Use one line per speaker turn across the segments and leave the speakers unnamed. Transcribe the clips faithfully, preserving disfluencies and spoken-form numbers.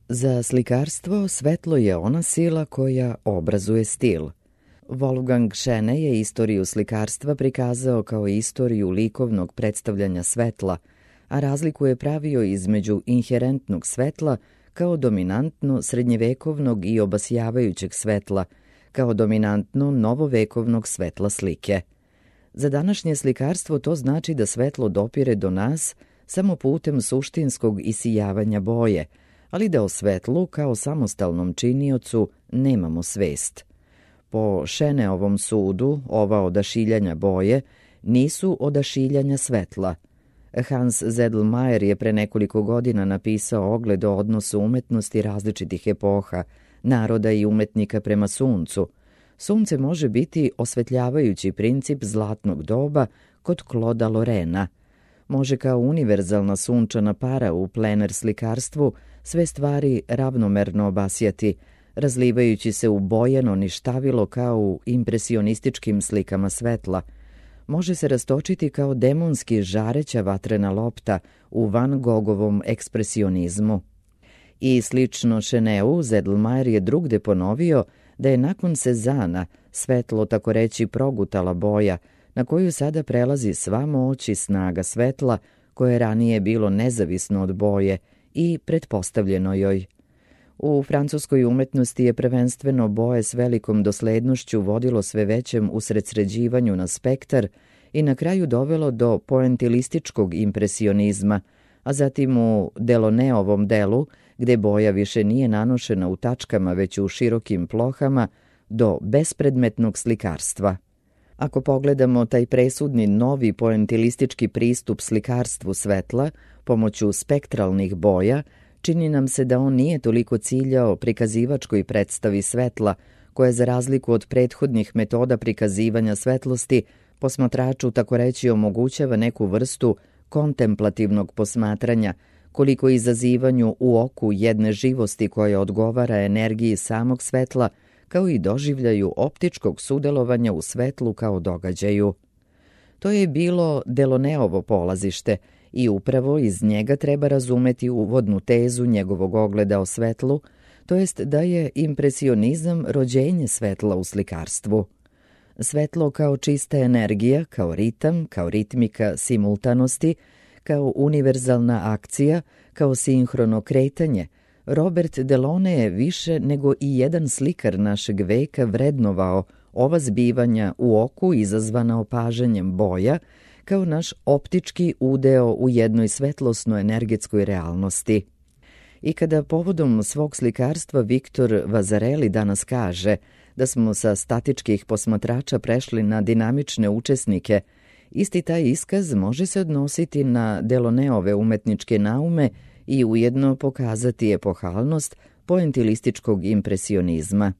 Za slikarstvo svetlo je ona sila koja obrazuje stil. Wolfgang Schene je istoriju slikarstva prikazao kao istoriju likovnog predstavljanja svetla, a razliku je pravio između inherentnog svetla kao dominantno srednjevekovnog i obasjavajućeg svetla, kao dominantno novovekovnog svetla slike. Za današnje slikarstvo to znači da svetlo dopire do nas samo putem suštinskog isijavanja boje, ali da o svetlu kao samostalnom činiocu nemamo svest. Po Scheneovom sudu, ova odašiljanja boje nisu odašiljanja svetla. Hans Sedlmayr je pre nekoliko godina napisao ogled o odnosu umetnosti različitih epoha, naroda i umetnika prema suncu. Sunce može biti osvetljavajući princip zlatnog doba kod Clauda Lorena. Može kao univerzalna sunčana para u plener slikarstvu sve stvari ravnomerno obasjati, razlivajući se u bojeno ništavilo kao u impresionističkim slikama svetla. Može se rastočiti kao demonski žareća vatrena lopta u Van Gogovom ekspresionizmu. I slično Scheneu, Sedlmayr je drugde ponovio da je nakon Sezana svetlo tako reći progutala boja, na koju sada prelazi sva moć i snaga svetla, koje je ranije bilo nezavisno od boje i pretpostavljeno joj. U francuskoj umetnosti je prvenstveno boje s velikom doslednošću vodilo sve većem usredsređivanju na spektar i na kraju dovelo do poentilističkog impresionizma, a zatim u Deloneovom delu, gde boja više nije nanošena u tačkama već u širokim plohama, do bespredmetnog slikarstva. Ako pogledamo taj presudni novi poentilistički pristup slikarstvu svetla pomoću spektralnih boja, čini nam se da on nije toliko ciljao prikazivačkoj predstavi svetla, koja za razliku od prethodnih metoda prikazivanja svetlosti posmatraču tako reći omogućava neku vrstu kontemplativnog posmatranja, koliko izazivanju u oku jedne živosti koja odgovara energiji samog svetla, kao i doživljaju optičkog sudelovanja u svetlu kao događaju. To je bilo Deloneovo polazište i upravo iz njega treba razumeti uvodnu tezu njegovog ogleda o svetlu, to jest da je impresionizam rođenje svetla u slikarstvu. Svetlo kao čista energija, kao ritam, kao ritmika simultanosti, kao univerzalna akcija, kao sinhrono kretanje, Robert Delaunay je više nego i jedan slikar našeg veka vrednovao ova zbivanja u oku izazvana opažanjem boja kao naš optički udeo u jednoj svetlosno-energetskoj realnosti. I kada povodom svog slikarstva Viktor Vazareli danas kaže da smo sa statičkih posmatrača prešli na dinamične učesnike, isti taj iskaz može se odnositi na Delaunayove umetničke naume i ujedno pokazati epohalnost poentilističkog impresionizma.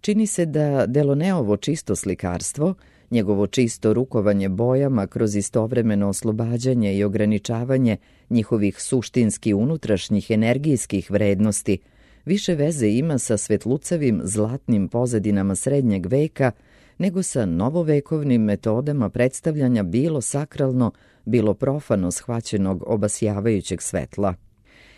Čini se da Delaunayovo čisto slikarstvo, njegovo čisto rukovanje bojama kroz istovremeno oslobađanje i ograničavanje njihovih suštinski unutrašnjih energijskih vrednosti, više veze ima sa svetlucavim zlatnim pozadinama srednjeg veka nego sa novovekovnim metodama predstavljanja bilo sakralno, bilo profano shvaćenog obasjavajućeg svetla.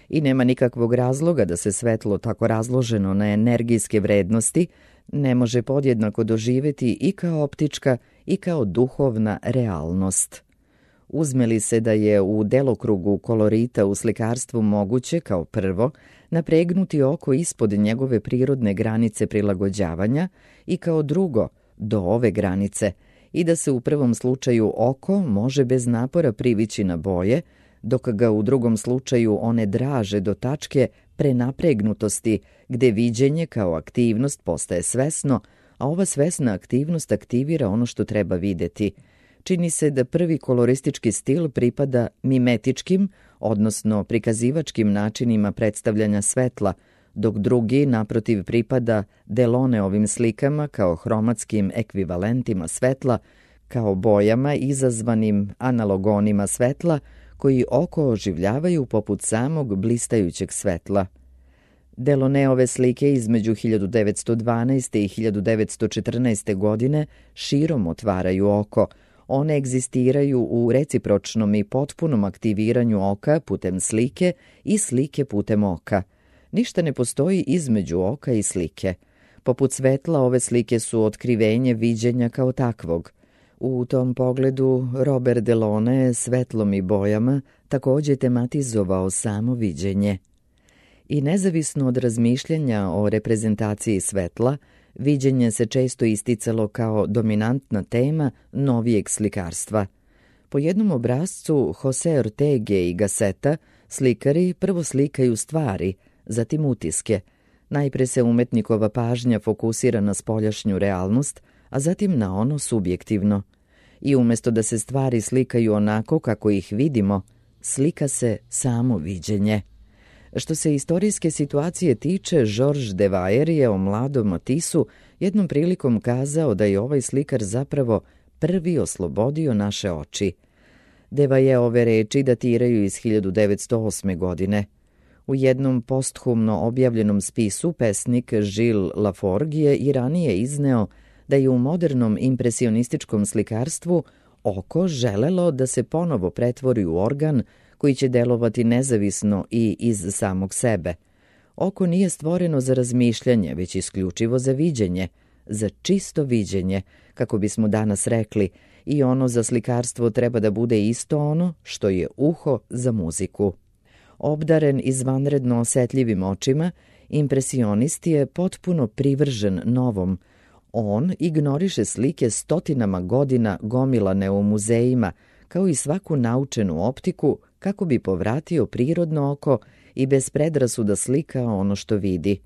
I nema nikakvog razloga da se svetlo tako razloženo na energijske vrednosti ne može podjednako doživjeti i kao optička i kao duhovna realnost. Uzme li se da je u delokrugu kolorita u slikarstvu moguće, kao prvo, napregnuti oko ispod njegove prirodne granice prilagođavanja i kao drugo, do ove granice, i da se u prvom slučaju oko može bez napora privići na boje, dok ga u drugom slučaju one draže do tačke prenapregnutosti, gde viđenje kao aktivnost postaje svesno, a ova svesna aktivnost aktivira ono što treba videti. Čini se da prvi koloristički stil pripada mimetičkim, odnosno prikazivačkim načinima predstavljanja svetla, dok drugi, naprotiv, pripada Delaunayeovim slikama kao hromatskim ekvivalentima svetla, kao bojama izazvanim analogonima svetla, koji oko oživljavaju poput samog blistajućeg svetla. Delaunayeove slike između hiljadu devetsto dvanaeste. i hiljadu devetsto četrnaeste. godine širom otvaraju oko. One egzistiraju u recipročnom i potpunom aktiviranju oka putem slike i slike putem oka. Ništa ne postoji između oka i slike. Poput svetla, ove slike su otkrivenje viđenja kao takvog. U tom pogledu Robert Delaunay svetlom i bojama također tematizovao samo viđenje. I nezavisno od razmišljanja o reprezentaciji svetla, viđenje se često isticalo kao dominantna tema novijeg slikarstva. Po jednom obrascu Jose Ortege i Gasseta slikari prvo slikaju stvari, zatim utiske. Najpre se umetnikova pažnja fokusira na spoljašnju realnost, a zatim na ono subjektivno. I umjesto da se stvari slikaju onako kako ih vidimo, slika se samo viđenje. Što se istorijske situacije tiče, Georges de Vayer je o mladom Matissu jednom prilikom kazao da je ovaj slikar zapravo prvi oslobodio naše oči. De Vayerove reči datiraju iz hiljadu devetsto osme. godine. U jednom posthumno objavljenom spisu pesnik Gilles Laforgue je i ranije izneo da je u modernom impresionističkom slikarstvu oko želelo da se ponovo pretvori u organ koji će delovati nezavisno i iz samog sebe. Oko nije stvoreno za razmišljanje, već isključivo za viđenje, za čisto viđenje, kako bismo danas rekli, i ono za slikarstvo treba da bude isto ono što je uho za muziku. Obdaren izvanredno osjetljivim očima, impresionist je potpuno privržen novom. On ignoriše slike stotinama godina gomilane u muzejima, kao i svaku naučenu optiku, kako bi povratio prirodno oko i bez predrasuda slika ono što vidi.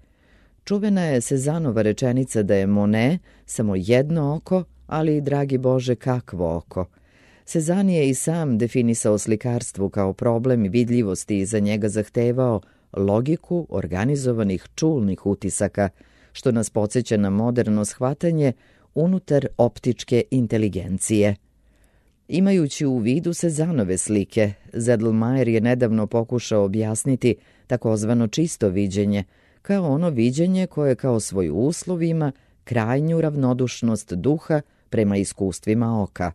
Čuvena je Cézannova rečenica da je Monet samo jedno oko, ali, dragi Bože, kakvo oko. Cézanne je i sam definisao slikarstvo kao problem vidljivosti i za njega zahtevao logiku organizovanih čulnih utisaka, što nas podsjeća na moderno shvatanje unutar optičke inteligencije. Imajući u vidu Cézannove slike, Sedlmayr je nedavno pokušao objasniti takozvano čisto viđenje, kao ono viđenje koje kao svoj uslov ima krajnju ravnodušnost duha prema iskustvima oka.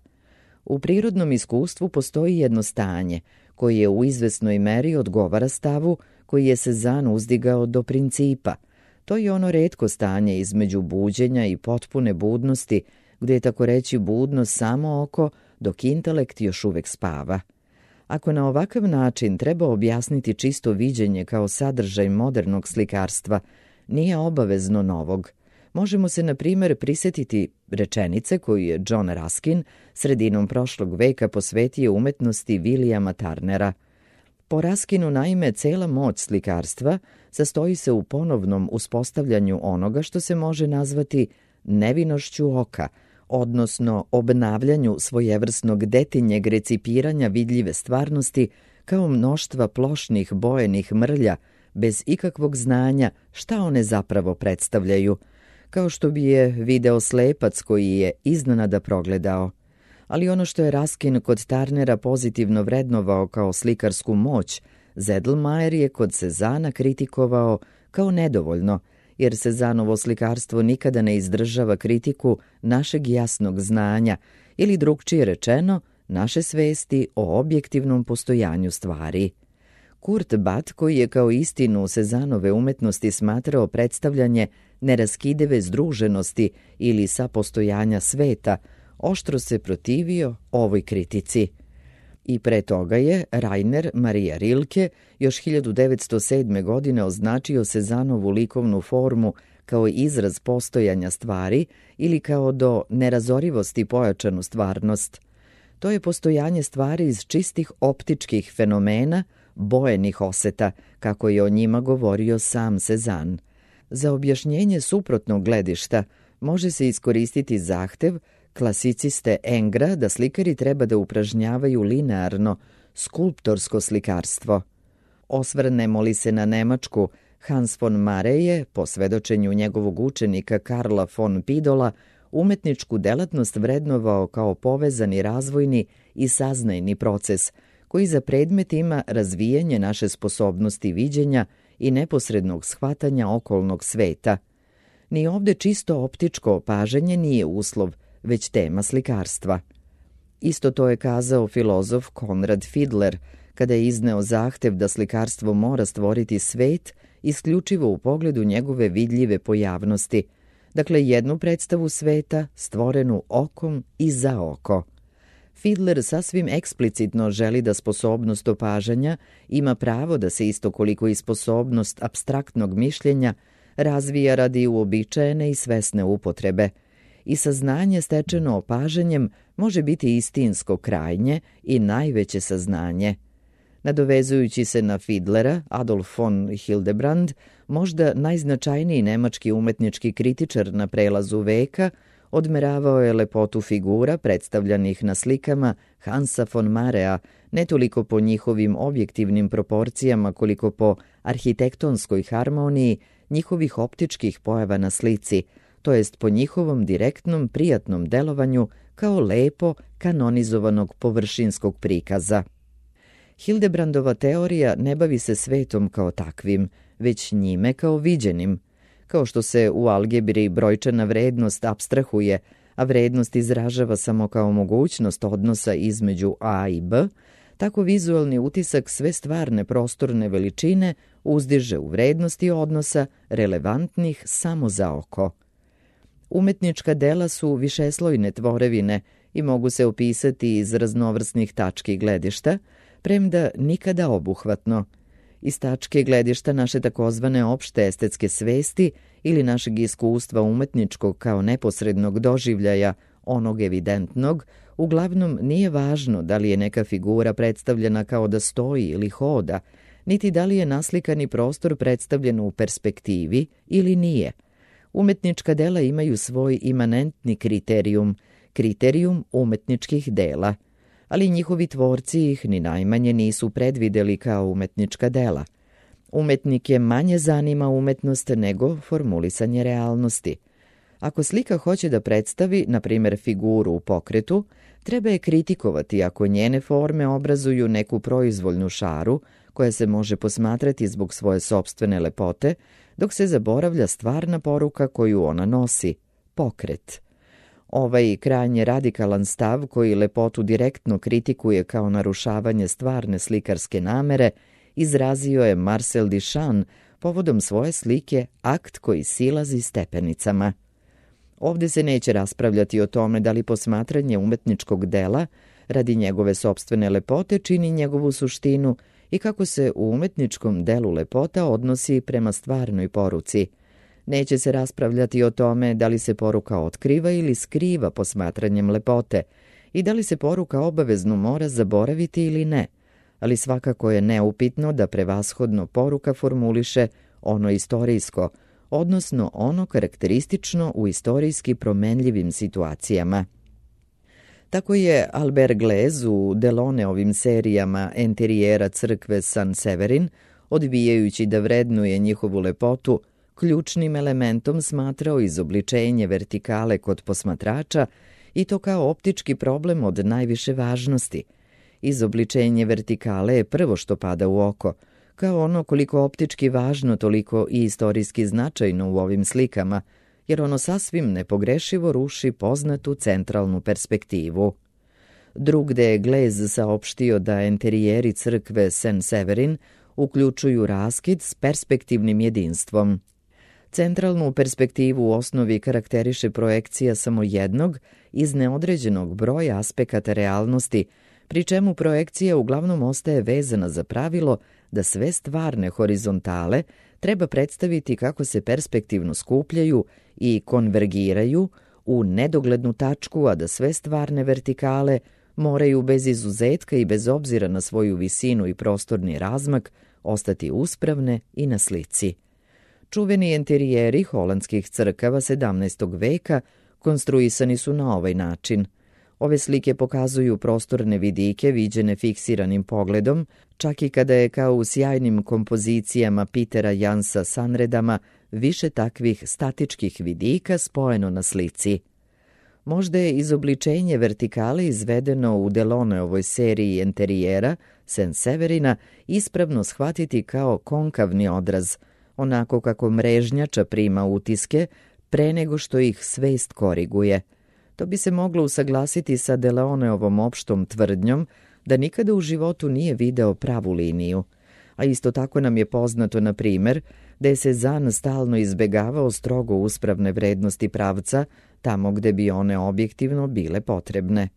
U prirodnom iskustvu postoji jedno stanje, koje je u izvesnoj meri odgovara stavu koji je Cézanne uzdigao do principa. To je ono retko stanje između buđenja i potpune budnosti, gdje je tako reći budno samo oko, dok intelekt još uvek spava. Ako na ovakav način treba objasniti čisto viđenje kao sadržaj modernog slikarstva, nije obavezno novog. Možemo se, na primjer, prisjetiti rečenice koju je John Ruskin sredinom prošlog veka posvetio umetnosti Williama Turnera. Po Ruskinu, naime, cela moć slikarstva sastoji se u ponovnom uspostavljanju onoga što se može nazvati nevinošću oka, odnosno obnavljanju svojevrsnog detinjeg recipiranja vidljive stvarnosti kao mnoštva plošnih bojenih mrlja bez ikakvog znanja šta one zapravo predstavljaju, kao što bi je video slepac koji je iznenada progledao. Ali ono što je Ruskin kod Turnera pozitivno vrednovao kao slikarsku moć, Sedlmayr je kod Cézanna kritikovao kao nedovoljno, jer Cézannovo slikarstvo nikada ne izdržava kritiku našeg jasnog znanja ili, drugčije rečeno, naše svesti o objektivnom postojanju stvari. Kurt Batt, koji je kao istinu Cézannove umetnosti smatrao predstavljanje neraskidive združenosti ili sapostojanja sveta, oštro se protivio ovoj kritici. I pre toga je Rainer Maria Rilke još hiljadu devetsto sedme. godine označio Cézannovu likovnu formu kao izraz postojanja stvari ili kao do nerazorivosti pojačanu stvarnost. To je postojanje stvari iz čistih optičkih fenomena, bojenih oseta, kako je o njima govorio sam Cézanne. Za objašnjenje suprotnog gledišta može se iskoristiti zahtev klasiciste Engra da slikari treba da upražnjavaju linearno, skulptorsko slikarstvo. Osvrnemo li se na Nemačku, Hans von Mare je, po svedočenju njegovog učenika Karla von Pidola, umetničku delatnost vrednovao kao povezani razvojni i saznajni proces, koji za predmet ima razvijanje naše sposobnosti viđenja i neposrednog shvatanja okolnog sveta. Ni ovde čisto optičko opažanje nije uslov, već tema slikarstva. Isto to je kazao filozof Konrad Fiedler, kada je izneo zahtev da slikarstvo mora stvoriti svet isključivo u pogledu njegove vidljive pojavnosti, dakle jednu predstavu sveta stvorenu okom i za oko. Fiedler sasvim eksplicitno želi da sposobnost opažanja ima pravo da se isto koliko i sposobnost apstraktnog mišljenja razvija radi uobičajene i svesne upotrebe, i saznanje stečeno opažanjem može biti istinsko krajnje i najveće saznanje. Nadovezujući se na Fiedlera, Adolf von Hildebrand, možda najznačajniji nemački umetnički kritičar na prelazu veka, odmeravao je lepotu figura predstavljanih na slikama Hansa von Marea, ne toliko po njihovim objektivnim proporcijama koliko po arhitektonskoj harmoniji njihovih optičkih pojava na slici, to jest po njihovom direktnom prijatnom delovanju kao lepo kanonizovanog površinskog prikaza. Hildebrandova teorija ne bavi se svetom kao takvim, već njime kao viđenim. Kao što se u algebri brojčana vrednost apstrahuje, a vrednost izražava samo kao mogućnost odnosa između a i b, tako vizualni utisak sve stvarne prostorne veličine uzdiže u vrednosti odnosa relevantnih samo za oko. Umetnička dela su višeslojne tvorevine i mogu se opisati iz raznovrsnih tački gledišta, premda nikada obuhvatno. Iz tačke gledišta naše takozvane opšte estetske svesti ili našeg iskustva umetničkog kao neposrednog doživljaja, onog evidentnog, uglavnom nije važno da li je neka figura predstavljena kao da stoji ili hoda, niti da li je naslikani prostor predstavljen u perspektivi ili nije. Umetnička dela imaju svoj imanentni kriterijum, kriterijum umetničkih dela, ali njihovi tvorci ih ni najmanje nisu predvideli kao umetnička dela. Umetnike manje zanima umetnost nego formulisanje realnosti. Ako slika hoće da predstavi, na primjer, figuru u pokretu, treba je kritikovati ako njene forme obrazuju neku proizvoljnu šaru koja se može posmatrati zbog svoje sopstvene lepote, dok se zaboravlja stvarna poruka koju ona nosi – pokret. Ovaj krajnje radikalan stav koji lepotu direktno kritikuje kao narušavanje stvarne slikarske namere izrazio je Marcel Duchamp povodom svoje slike Akt koji silazi stepenicama. Ovdje se neće raspravljati o tome da li posmatranje umetničkog dela radi njegove sopstvene lepote čini njegovu suštinu i kako se u umetničkom delu lepota odnosi prema stvarnoj poruci. Neće se raspravljati o tome da li se poruka otkriva ili skriva posmatranjem lepote i da li se poruka obavezno mora zaboraviti ili ne, ali svakako je neupitno da prevashodno poruka formuliše ono istorijsko, odnosno ono karakteristično u istorijski promenljivim situacijama. Tako je Albert Glaise u Delaunayovim serijama enterijera crkve San Severin, odbijajući da vrednuje njihovu lepotu, ključnim elementom smatrao izobličenje vertikale kod posmatrača i to kao optički problem od najviše važnosti. Izobličenje vertikale je prvo što pada u oko, kao ono koliko optički važno toliko i istorijski značajno u ovim slikama, jer ono sasvim nepogrešivo ruši poznatu centralnu perspektivu. Drugde je Glaise saopštio da enterijeri crkve Saint Severin uključuju raskid s perspektivnim jedinstvom. Centralnu perspektivu u osnovi karakteriše projekcija samo jednog iz neodređenog broja aspekata realnosti, pri čemu projekcija uglavnom ostaje vezana za pravilo da sve stvarne horizontale treba predstaviti kako se perspektivno skupljaju i konvergiraju u nedoglednu tačku, a da sve stvarne vertikale moraju bez izuzetka i bez obzira na svoju visinu i prostorni razmak ostati uspravne i na slici. Čuveni enterijeri holandskih crkava sedamnaestog veka konstruisani su na ovaj način. Ove slike pokazuju prostorne vidike viđene fiksiranim pogledom, čak i kada je kao u sjajnim kompozicijama Petera Jansa Sanredama više takvih statičkih vidika spojeno na slici. Možda je izobličenje vertikale izvedeno u Delaunayovoj seriji enterijera Saint Severina ispravno shvatiti kao konkavni odraz, onako kako mrežnjača prima utiske pre nego što ih svest koriguje. To bi se moglo usaglasiti sa Delaunay-ovom opštom tvrdnjom da nikada u životu nije video pravu liniju. A isto tako nam je poznato, na primer, da je Cézanne stalno izbegavao strogo uspravne vrednosti pravca tamo gde bi one objektivno bile potrebne.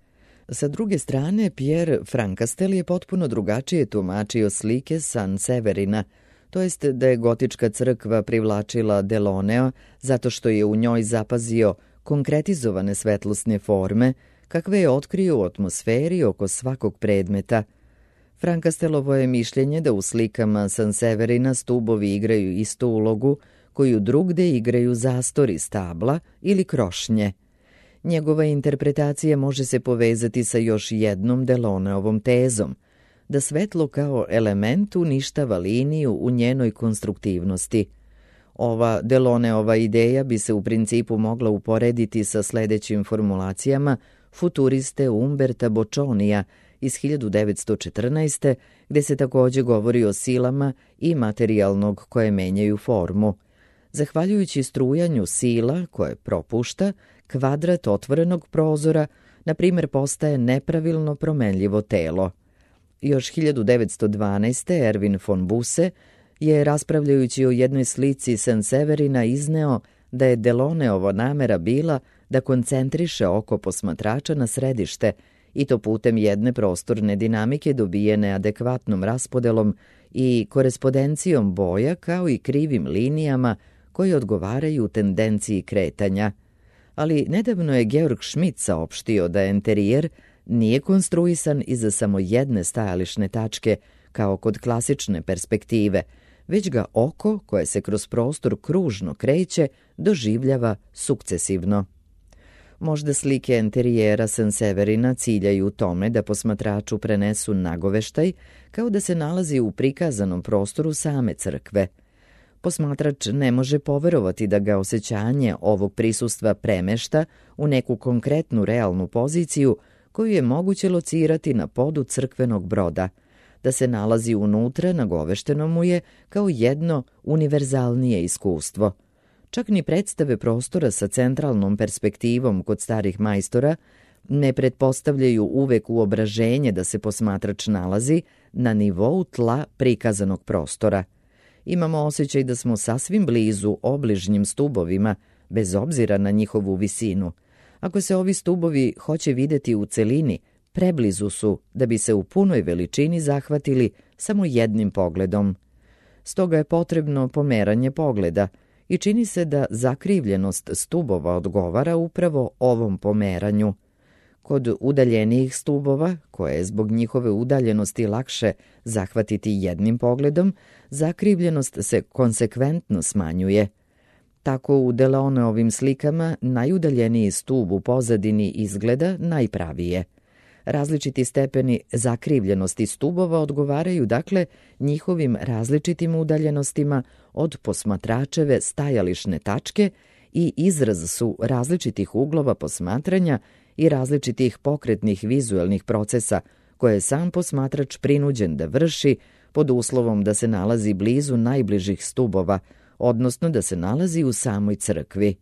Sa druge strane, Pierre Francastel je potpuno drugačije tumačio slike San Severina, to jest da je gotička crkva privlačila Delaunea zato što je u njoj zapazio konkretizovane svetlosne forme, kakve je otkrio u atmosferi oko svakog predmeta. Francastelovo je mišljenje da u slikama San Severina stubovi igraju istu ulogu koju drugde igraju zastori stabla ili krošnje. Njegova interpretacija može se povezati sa još jednom Delauneovom tezom, da svetlo kao element uništava liniju u njenoj konstruktivnosti. Ova Delauneova ideja bi se u principu mogla uporediti sa sledećim formulacijama futuriste Umberta Boccionija iz hiljadu devetsto četrnaeste. gde se takođe govori o silama i materijalnog koje menjaju formu. Zahvaljujući strujanju sila koje propušta, kvadrat otvorenog prozora, na primjer, postaje nepravilno promenljivo telo. Još hiljadu devetsto dvanaeste. Erwin von Busse je, raspravljajući o jednoj slici San Severina, izneo da je Delauneova namera bila da koncentriše oko posmatrača na središte, i to putem jedne prostorne dinamike dobijene adekvatnom raspodelom i korespondencijom boja, kao i krivim linijama koje odgovaraju tendenciji kretanja. Ali nedavno je Georg Schmidt saopštio da enterijer nije konstruisan iza samo jedne stajališne tačke, kao kod klasične perspektive, već ga oko, koje se kroz prostor kružno kreće, doživljava sukcesivno. Možda slike enterijera San Severina ciljaju tome da posmatraču prenesu nagoveštaj, kao da se nalazi u prikazanom prostoru same crkve. Posmatrač ne može poverovati da ga osjećanje ovog prisustva premešta u neku konkretnu realnu poziciju koju je moguće locirati na podu crkvenog broda. Da se nalazi unutra nagovešteno mu je kao jedno univerzalnije iskustvo. Čak ni predstave prostora sa centralnom perspektivom kod starih majstora ne pretpostavljaju uvek uobraženje da se posmatrač nalazi na nivou tla prikazanog prostora. Imamo osjećaj da smo sasvim blizu obližnjim stubovima, bez obzira na njihovu visinu. Ako se ovi stubovi hoće videti u celini, preblizu su da bi se u punoj veličini zahvatili samo jednim pogledom. Stoga je potrebno pomeranje pogleda i čini se da zakrivljenost stubova odgovara upravo ovom pomeranju. Kod udaljenijih stubova, koje je zbog njihove udaljenosti lakše zahvatiti jednim pogledom, zakrivljenost se konsekventno smanjuje. Tako u Delauneovim slikama najudaljeniji stub u pozadini izgleda najpravije. Različiti stepeni zakrivljenosti stubova odgovaraju dakle njihovim različitim udaljenostima od posmatračeve stajališne tačke i izraz su različitih uglova posmatranja i različitih pokretnih vizuelnih procesa koje je sam posmatrač prinuđen da vrši pod uslovom da se nalazi blizu najbližih stubova, odnosno da se nalazi u samoj crkvi.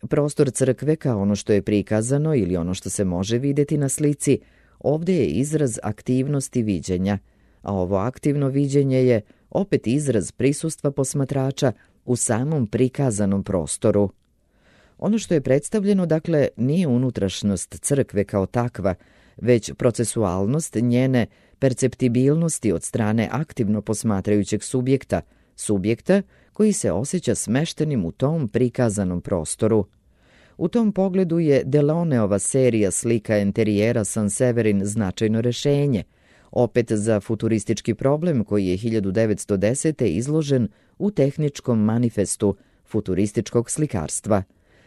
Prostor crkve kao ono što je prikazano ili ono što se može videti na slici, ovdje je izraz aktivnosti viđenja, a ovo aktivno viđenje je opet izraz prisustva posmatrača u samom prikazanom prostoru. Ono što je predstavljeno, dakle, nije unutrašnjost crkve kao takva, već procesualnost njene perceptibilnosti od strane aktivno posmatrajućeg subjekta, subjekta koji se osjeća smeštenim u tom prikazanom prostoru. U tom pogledu je Delauneova serija slika enterijera San Severin značajno rešenje, opet za futuristički problem koji je hiljadu devetsto desete. izložen u tehničkom manifestu futurističkog slikarstva.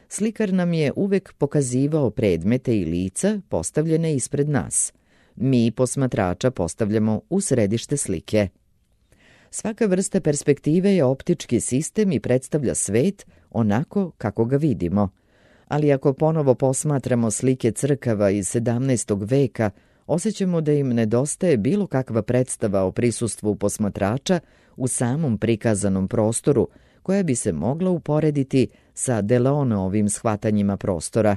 Slikar nam je uvek pokazivao predmete i lica postavljene ispred nas. Mi posmatrača postavljamo u središte slike. Svaka vrsta perspektive je optički sistem i predstavlja svet onako kako ga vidimo. Ali ako ponovo posmatramo slike crkava iz sedamnaestog veka, osjećamo da im nedostaje bilo kakva predstava o prisustvu posmatrača u samom prikazanom prostoru, koja bi se mogla uporediti sa Delauneovim shvatanjima prostora,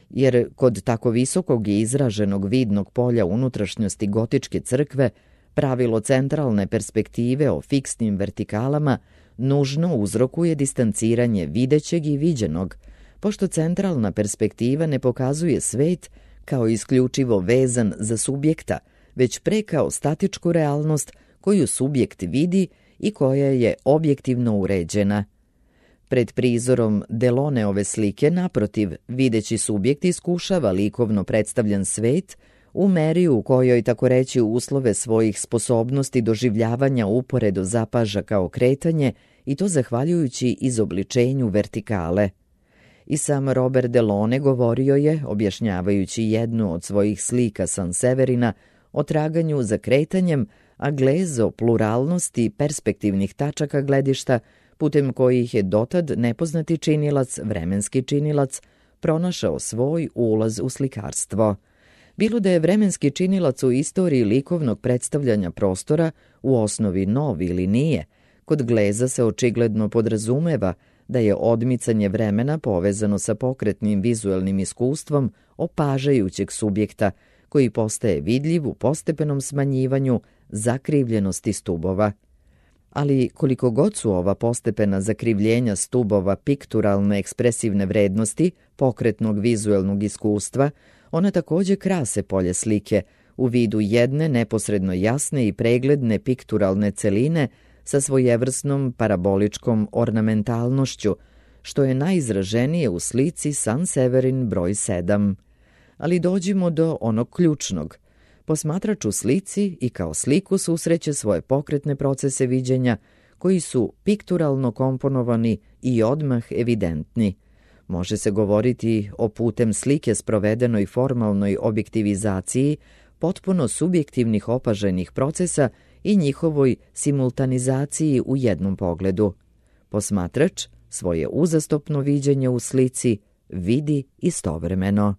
jer kod tako visokog i izraženog vidnog polja unutrašnjosti gotičke crkve, pravilo centralne perspektive o fiksnim vertikalama nužno uzrokuje distanciranje videćeg i viđenog, pošto centralna perspektiva ne pokazuje svet kao isključivo vezan za subjekta, već pre kao statičku realnost koju subjekt vidi i koja je objektivno uređena. Pred prizorom Deloneove slike, naprotiv, videći subjekt iskušava likovno predstavljan svet u meri u kojoj, tako reći, uslove svojih sposobnosti doživljavanja uporedo zapaža kao kretanje, i to zahvaljujući izobličenju vertikale. I sam Robert Delone govorio je, objašnjavajući jednu od svojih slika Sanseverina, o traganju za kretanjem, a glez o pluralnosti perspektivnih tačaka gledišta, putem kojih je dotad nepoznati činilac, vremenski činilac, pronašao svoj ulaz u slikarstvo. Bilo da je vremenski činilac u istoriji likovnog predstavljanja prostora u osnovi nov ili nije, kod gleza se očigledno podrazumeva da je odmicanje vremena povezano sa pokretnim vizuelnim iskustvom opažajućeg subjekta, koji postaje vidljiv u postepenom smanjivanju zakrivljenosti stubova. Ali koliko god su ova postepena zakrivljenja stubova pikturalne ekspresivne vrednosti pokretnog vizuelnog iskustva, ona takođe krase polje slike u vidu jedne neposredno jasne i pregledne pikturalne celine sa svojevrsnom paraboličkom ornamentalnošću, što je najizraženije u slici Sanseverin broj sedam. Ali dođimo do onog ključnog. Posmatrač u slici i kao sliku susreće svoje pokretne procese viđenja koji su pikturalno komponovani i odmah evidentni. Može se govoriti o putem slike sprovedenoj formalnoj objektivizaciji potpuno subjektivnih opaženih procesa i njihovoj simultanizaciji u jednom pogledu. Posmatrač svoje uzastopno viđenje u slici vidi istovremeno.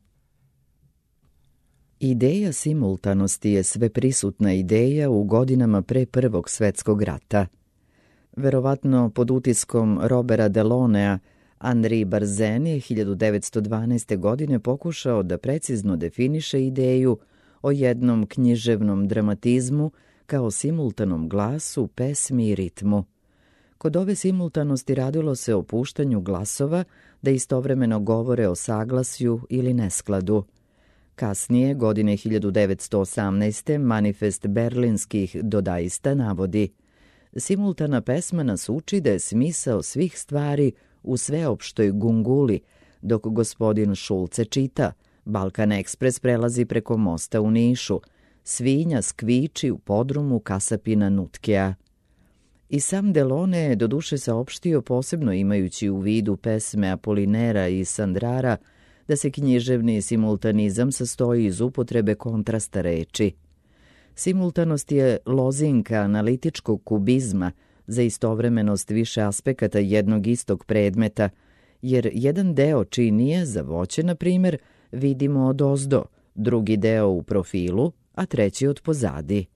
Ideja simultanosti je sveprisutna ideja u godinama pre Prvog svetskog rata. Verovatno pod utiskom Robera Delonea, Henri Barzen je hiljadu devetsto dvanaeste. godine pokušao da precizno definiše ideju o jednom književnom dramatizmu kao simultanom glasu, pesmi i ritmu. Kod ove simultanosti radilo se o puštanju glasova da istovremeno govore o saglasju ili neskladu. Kasnije, godine hiljadu devetsto osamnaeste. manifest berlinskih dodaista navodi: simultana pesma nas uči da je smisao svih stvari u sveopštoj gunguli, dok gospodin Šulce čita, Balkan Ekspres prelazi preko mosta u Nišu, svinja skviči u podrumu kasapina Nutkea. I sam Delone je doduše saopštio, posebno imajući u vidu pesme Apolinera i Sandrara, da se književni simultanizam sastoji iz upotrebe kontrasta reči. Simultanost je lozinka analitičkog kubizma za istovremenost više aspekata jednog istog predmeta, jer jedan deo činije za voće, na primjer, vidimo odozdo, drugi deo u profilu, a treći od pozadi.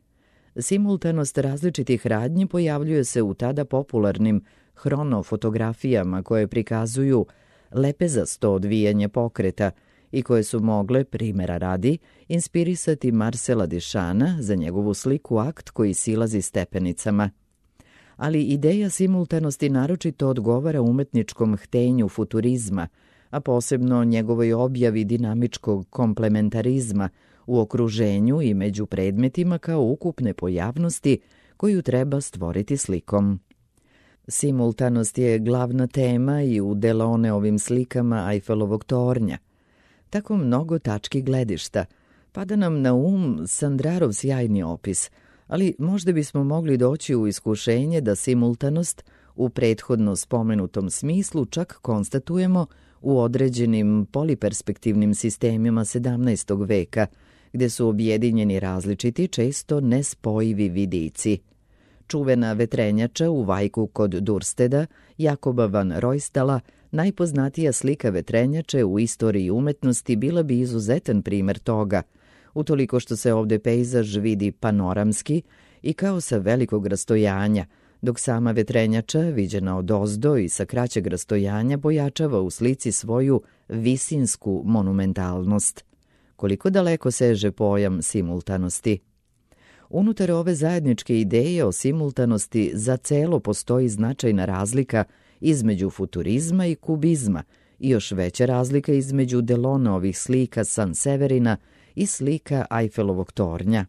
Simultanost različitih radnji pojavljuje se u tada popularnim hronofotografijama koje prikazuju lepezasto odvijanje pokreta i koje su mogle, primjera radi, inspirisati Marcela Duchampa za njegovu sliku Akt koji silazi stepenicama. Ali ideja simultanosti naročito odgovara umetničkom htenju futurizma, a posebno njegovoj objavi dinamičkog komplementarizma u okruženju i među predmetima kao ukupne pojavnosti koju treba stvoriti slikom. Simultanost je glavna tema i u Deloneovim slikama Eiffelovog tornja. Tako mnogo tački gledišta. Pada nam na um Sandrarov sjajni opis, ali možda bismo mogli doći u iskušenje da simultanost u prethodno spomenutom smislu čak konstatujemo u određenim poliperspektivnim sistemima sedamnaestog veka, gde su objedinjeni različiti, često nespojivi vidici. Čuvena vetrenjača u Vajku kod Dursteda, Jakoba van Roystala, najpoznatija slika vetrenjače u istoriji umetnosti, bila bi izuzetan primer toga, utoliko što se ovde pejzaž vidi panoramski i kao sa velikog rastojanja, dok sama vetrenjača, viđena odozdo i sa kraćeg rastojanja, pojačava u slici svoju visinsku monumentalnost. Koliko daleko seže pojam simultanosti? Unutar ove zajedničke ideje o simultanosti za celo postoji značajna razlika između futurizma i kubizma i još veća razlika između Deloneovih slika San Severina i slika Eiffelovog tornja.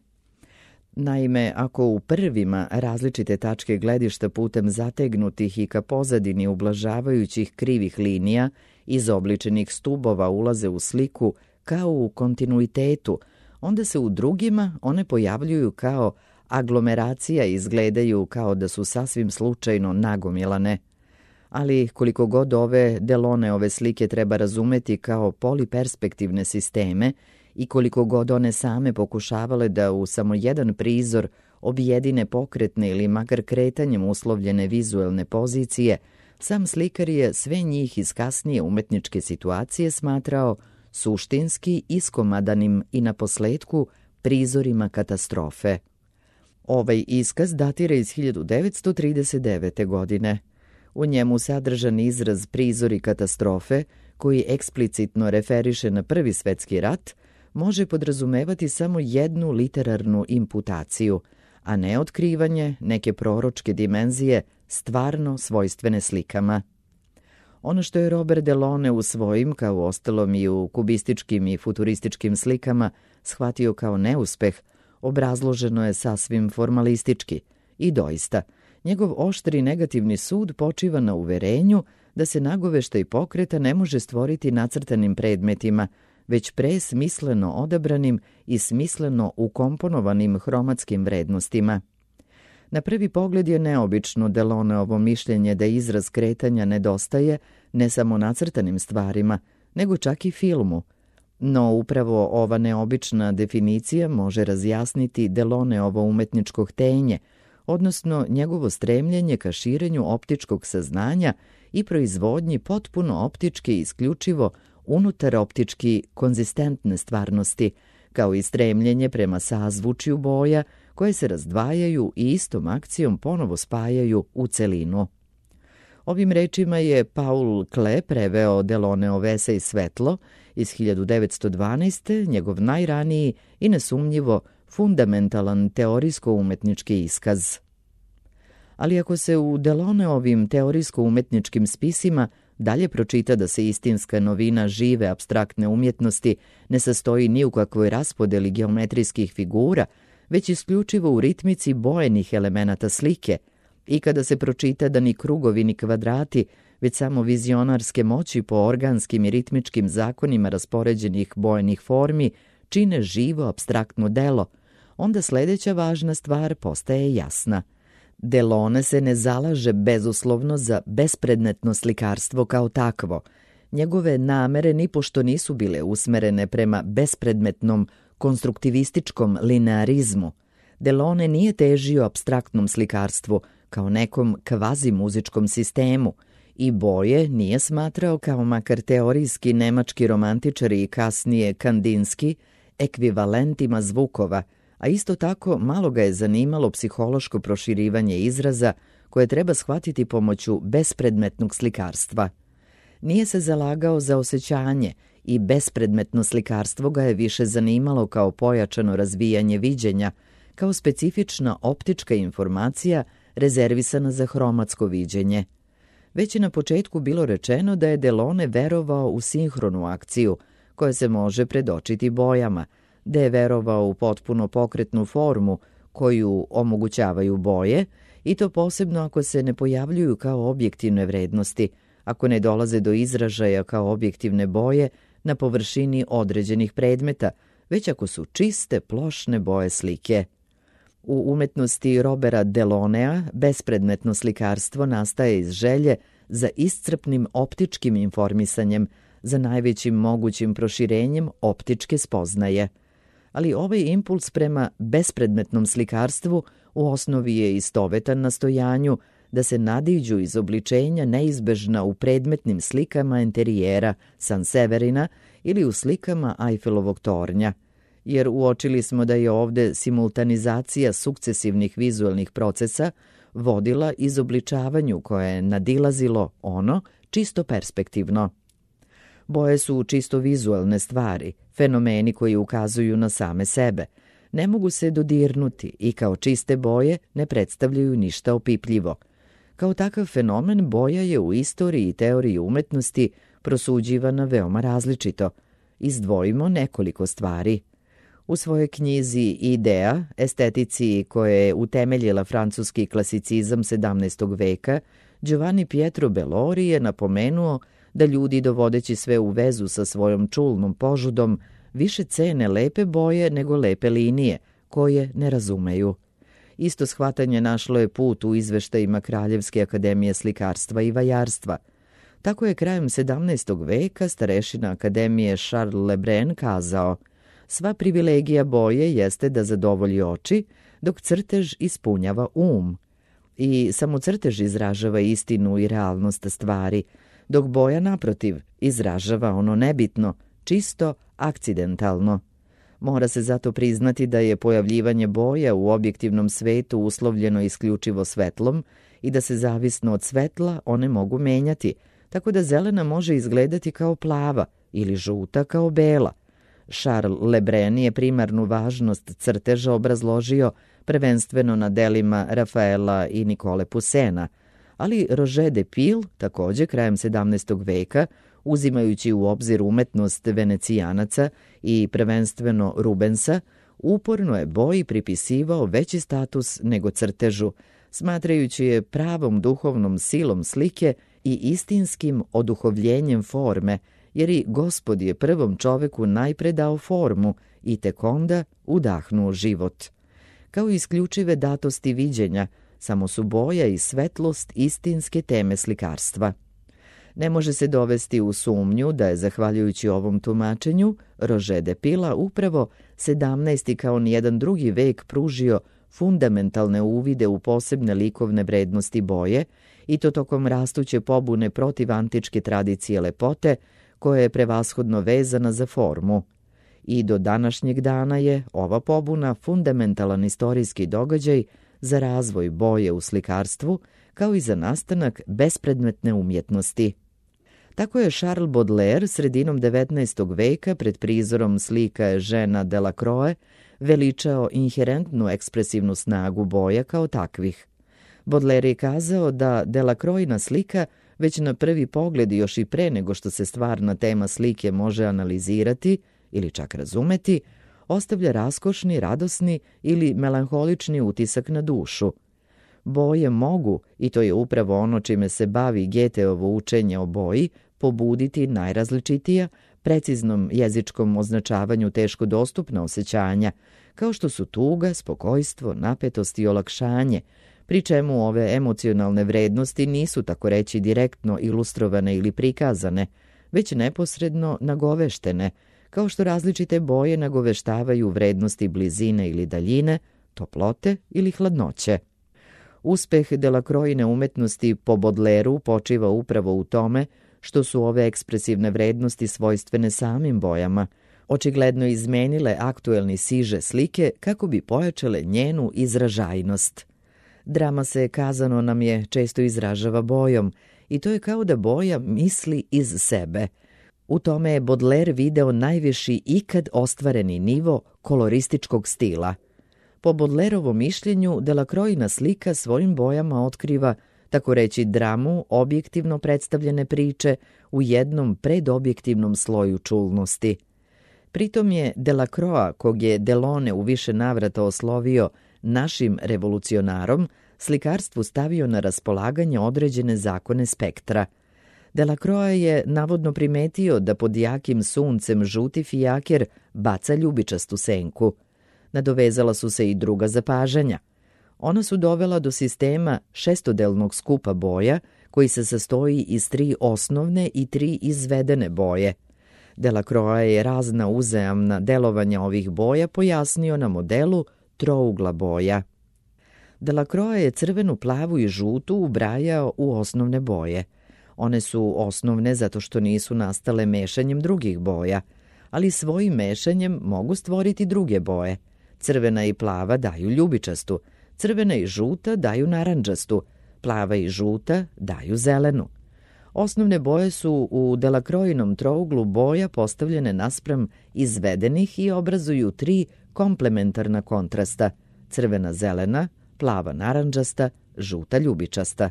Naime, ako u prvima različite tačke gledišta putem zategnutih i ka pozadini ublažavajućih krivih linija izobličenih stubova ulaze u sliku kao u kontinuitetu, onda se u drugima one pojavljuju kao aglomeracija i izgledaju kao da su sasvim slučajno nagomilane. Ali koliko god ove Deloneove slike treba razumeti kao poliperspektivne sisteme i koliko god one same pokušavale da u samo jedan prizor objedine pokretne ili makar kretanjem uslovljene vizuelne pozicije, sam slikar je sve njih iz kasnije umetničke situacije smatrao suštinski iskomadanim i na posledku prizorima katastrofe. Ovaj iskaz datira iz hiljadu devetsto trideset devete. godine. U njemu sadržan izraz prizori katastrofe, koji eksplicitno referiše na Prvi svetski rat, može podrazumevati samo jednu literarnu imputaciju, a ne otkrivanje neke proročke dimenzije stvarno svojstvene slikama. Ono što je Robert Delone u svojim, kao ostalom i u kubističkim i futurističkim slikama, shvatio kao neuspeh, obrazloženo je sasvim formalistički i doista, njegov oštri negativni sud počiva na uverenju da se nagoveštaj pokreta ne može stvoriti nacrtanim predmetima, već pre smisleno odabranim i smisleno ukomponovanim hromatskim vrednostima. Na prvi pogled je neobično Deloneovo mišljenje da izraz kretanja nedostaje ne samo nacrtanim stvarima, nego čak i filmu. No upravo ova neobična definicija može razjasniti Deloneovo umetničko htenje, odnosno njegovo stremljenje ka širenju optičkog saznanja i proizvodnji potpuno optički isključivo unutar optički konzistentne stvarnosti, kao i stremljenje prema sazvučju boja koje se razdvajaju i istom akcijom ponovo spajaju u celinu. Ovim rečima je Paul Klee preveo Deloneov esej Svetlo iz hiljadu devetsto dvanaeste. njegov najraniji i nesumnjivo fundamentalan teorijsko-umetnički iskaz. Ali ako se u Deloneovim teorijsko-umetničkim spisima dalje pročita da se istinska novina žive apstraktne umjetnosti ne sastoji ni u kakvoj raspodeli geometrijskih figura, već isključivo u ritmici bojenih elemenata slike, i kada se pročita da ni krugovi ni kvadrati, već samo vizionarske moći po organskim i ritmičkim zakonima raspoređenih bojenih formi čine živo apstraktno delo, onda sledeća važna stvar postaje jasna. Delone se ne zalaže bezuslovno za bespredmetno slikarstvo kao takvo. Njegove namere nipošto nisu bile usmerene prema bespredmetnom konstruktivističkom linearizmu. Delone nije težio apstraktnom slikarstvu kao nekom kvazi-muzičkom sistemu i boje nije smatrao kao makar teorijski nemački romantičari i kasnije kandinski ekvivalentima zvukova, a isto tako malo ga je zanimalo psihološko proširivanje izraza koje treba shvatiti pomoću bespredmetnog slikarstva. Nije se zalagao za osjećanje i bespredmetno slikarstvo ga je više zanimalo kao pojačano razvijanje viđenja, kao specifična optička informacija rezervisana za hromatsko viđenje. Već je na početku bilo rečeno da je Delone verovao u sinhronu akciju, koja se može predočiti bojama, da je verovao u potpuno pokretnu formu koju omogućavaju boje, i to posebno ako se ne pojavljuju kao objektivne vrednosti, ako ne dolaze do izražaja kao objektivne boje na površini određenih predmeta, već ako su čiste, plošne boje slike. U umetnosti Roberta Delonea bespredmetno slikarstvo nastaje iz želje za iscrpnim optičkim informisanjem, za najvećim mogućim proširenjem optičke spoznaje. Ali ovaj impuls prema bespredmetnom slikarstvu u osnovi je istovetan nastojanju da se nadiđu izobličenja neizbežna u predmetnim slikama enterijera San Severina ili u slikama Eiffelovog tornja, jer uočili smo da je ovde simultanizacija sukcesivnih vizuelnih procesa vodila izobličavanju koje je nadilazilo ono čisto perspektivno. Boje su čisto vizuelne stvari, fenomeni koji ukazuju na same sebe. Ne mogu se dodirnuti i kao čiste boje ne predstavljaju ništa opipljivo. Kao takav fenomen boja je u istoriji i teoriji umetnosti prosuđivana veoma različito. Izdvojimo nekoliko stvari. U svojoj knjizi Idea, estetici koje je utemeljila francuski klasicizam sedamnaestog veka, Giovanni Pietro Bellori je napomenuo da ljudi, dovodeći sve u vezu sa svojom čulnom požudom, više cene lepe boje nego lepe linije, koje ne razumeju. Isto shvatanje našlo je put u izveštajima Kraljevske akademije slikarstva i vajarstva. Tako je krajem sedamnaestog veka starešina akademije Charles Lebrun kazao: sva privilegija boje jeste da zadovolji oči, dok crtež ispunjava um. I samo crtež izražava istinu i realnost stvari, dok boja, naprotiv, izražava ono nebitno, čisto akcidentalno. Mora se zato priznati da je pojavljivanje boja u objektivnom svetu uslovljeno isključivo svetlom i da se zavisno od svetla one mogu menjati, tako da zelena može izgledati kao plava ili žuta kao bela. Charles Lebrun je primarnu važnost crteža obrazložio prvenstveno na delima Rafaela i Nikole Pusena, ali Roger de Pile, takođe krajem sedamnaestog veka, uzimajući u obzir umetnost Venecijanaca i prvenstveno Rubensa, uporno je boji pripisivao veći status nego crtežu, smatrajući je pravom duhovnom silom slike i istinskim oduhovljenjem forme, jer i Gospod je prvom čoveku najpre dao formu i tek onda udahnuo život. Kao isključive datosti viđenja, samo su boja i svetlost istinske teme slikarstva. Ne može se dovesti u sumnju da je, zahvaljujući ovom tumačenju, Roger de Pila upravo sedamnaesti kao nijedan drugi vek pružio fundamentalne uvide u posebne likovne vrednosti boje, i to tokom rastuće pobune protiv antičke tradicije lepote, koja je prevashodno vezana za formu. I do današnjeg dana je ova pobuna fundamentalan istorijski događaj za razvoj boje u slikarstvu, kao i za nastanak bespredmetne umjetnosti. Tako je Charles Baudelaire sredinom devetnaestog veka pred prizorom slika Eugèna Delacroix veličao inherentnu ekspresivnu snagu boja kao takvih. Baudelaire je kazao da Delacroixina slika već na prvi pogled, još i pre nego što se stvarna tema slike može analizirati ili čak razumeti, ostavlja raskošni, radosni ili melanholični utisak na dušu. Boje mogu, i to je upravo ono čime se bavi Goetheovo učenje o boji, pobuditi najrazličitija, preciznom jezičkom označavanju teško dostupna osjećanja, kao što su tuga, spokojstvo, napetost i olakšanje, pri čemu ove emocionalne vrednosti nisu, tako reći, direktno ilustrovane ili prikazane, već neposredno nagoveštene, kao što različite boje nagoveštavaju vrednosti blizine ili daljine, toplote ili hladnoće. Uspeh Delacroixine umetnosti po Baudelairu počiva upravo u tome što su ove ekspresivne vrednosti svojstvene samim bojama, očigledno izmenile aktuelni siže slike kako bi pojačale njenu izražajnost. Drama, se kazano nam je, često izražava bojom, i to je kao da boja misli iz sebe. U tome je Baudelaire video najviši ikad ostvareni nivo kolorističkog stila. Po Baudelairovom mišljenju, Delacroixina slika svojim bojama otkriva, tako reći, dramu objektivno predstavljene priče u jednom predobjektivnom sloju čulnosti. Pritom je Delacroix, kog je Delaunay u više navrata oslovio našim revolucionarom, slikarstvu stavio na raspolaganje određene zakone spektra. Delacroix je navodno primetio da pod jakim suncem žuti fijaker baca ljubičastu senku. Nadovezala su se i druga zapažanja. Ona su dovela do sistema šestodelnog skupa boja, koji se sastoji iz tri osnovne i tri izvedene boje. Delacroix je razna uzajamna delovanja ovih boja pojasnio na modelu trougla boja. Delacroix je crvenu, plavu i žutu ubrajao u osnovne boje. One su osnovne zato što nisu nastale mešanjem drugih boja, ali svojim mešanjem mogu stvoriti druge boje. Crvena i plava daju ljubičastu, crvena i žuta daju narandžastu, plava i žuta daju zelenu. Osnovne boje su u Delacroinom trouglu boja postavljene naspram izvedenih i obrazuju tri komplementarna kontrasta, crvena zelena, plava narandžasta, žuta ljubičasta.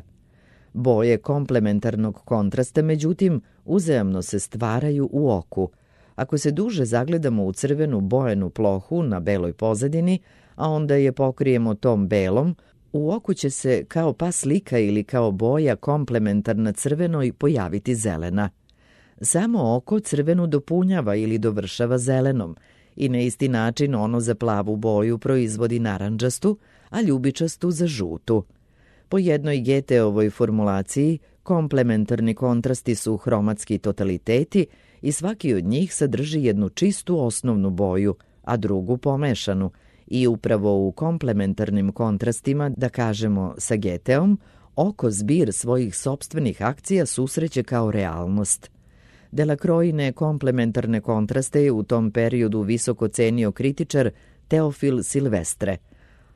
Boje komplementarnog kontrasta, međutim, uzajamno se stvaraju u oku. Ako se duže zagledamo u crvenu bojenu plohu na beloj pozadini, a onda je pokrijemo tom belom, u oku će se kao pa slika ili kao boja komplementarna crvenoj pojaviti zelena. Samo oko crvenu dopunjava ili dovršava zelenom i na isti način ono za plavu boju proizvodi narandžastu, a ljubičastu za žutu. Po jednoj Goetheovoj formulaciji, komplementarni kontrasti su hromatski totaliteti i svaki od njih sadrži jednu čistu osnovnu boju, a drugu pomešanu, i upravo u komplementarnim kontrastima, da kažemo sa Goetheom, oko zbir svojih sopstvenih akcija susreće kao realnost. Delacroixine komplementarne kontraste je u tom periodu visoko cenio kritičar Teofil Silvestre.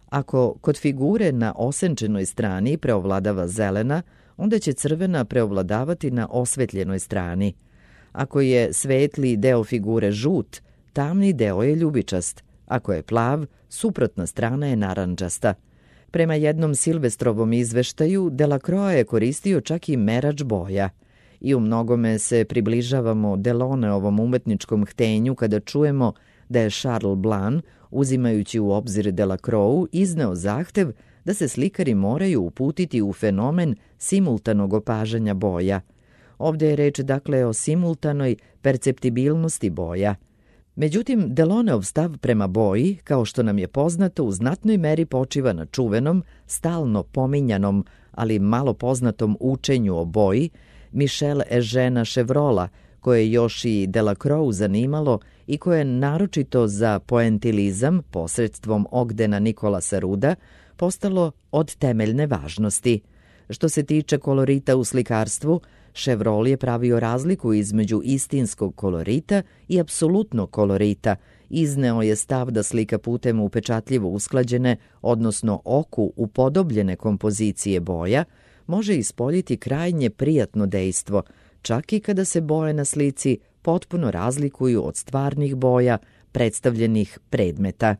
Ako kod figure na osenčenoj strani preovladava zelena, onda će crvena preovladavati na osvetljenoj strani. Ako je svetli deo figure žut, tamni deo je ljubičast. Ako je plav, suprotna strana je narandžasta. Prema jednom Silvestrovom izveštaju, Delacroix je koristio čak i merač boja. I u mnogome se približavamo Deloneovom umetničkom htenju kada čujemo da je Charles Blanc, uzimajući u obzir Delacroixu, izneo zahtev da se slikari moraju uputiti u fenomen simultanog opažanja boja. Ovde je reč dakle o simultanoj perceptibilnosti boja. Međutim, Deloneov stav prema boji, kao što nam je poznato, u znatnoj meri počiva na čuvenom, stalno pominjanom, ali malo poznatom učenju o boji Michel Eugena Chevrola, koje je još i Delacroixu zanimalo i koje je naročito za poentilizam posredstvom Ogdena Nikolasa Ruda postalo od temeljne važnosti. Što se tiče kolorita u slikarstvu, Chevreul je pravio razliku između istinskog kolorita i apsolutnog kolorita. Izneo je stav da slika putem upečatljivo usklađene, odnosno oku upodobljene kompozicije boja, može ispoljiti krajnje prijatno dejstvo, čak i kada se boje na slici potpuno razlikuju od stvarnih boja predstavljenih predmeta.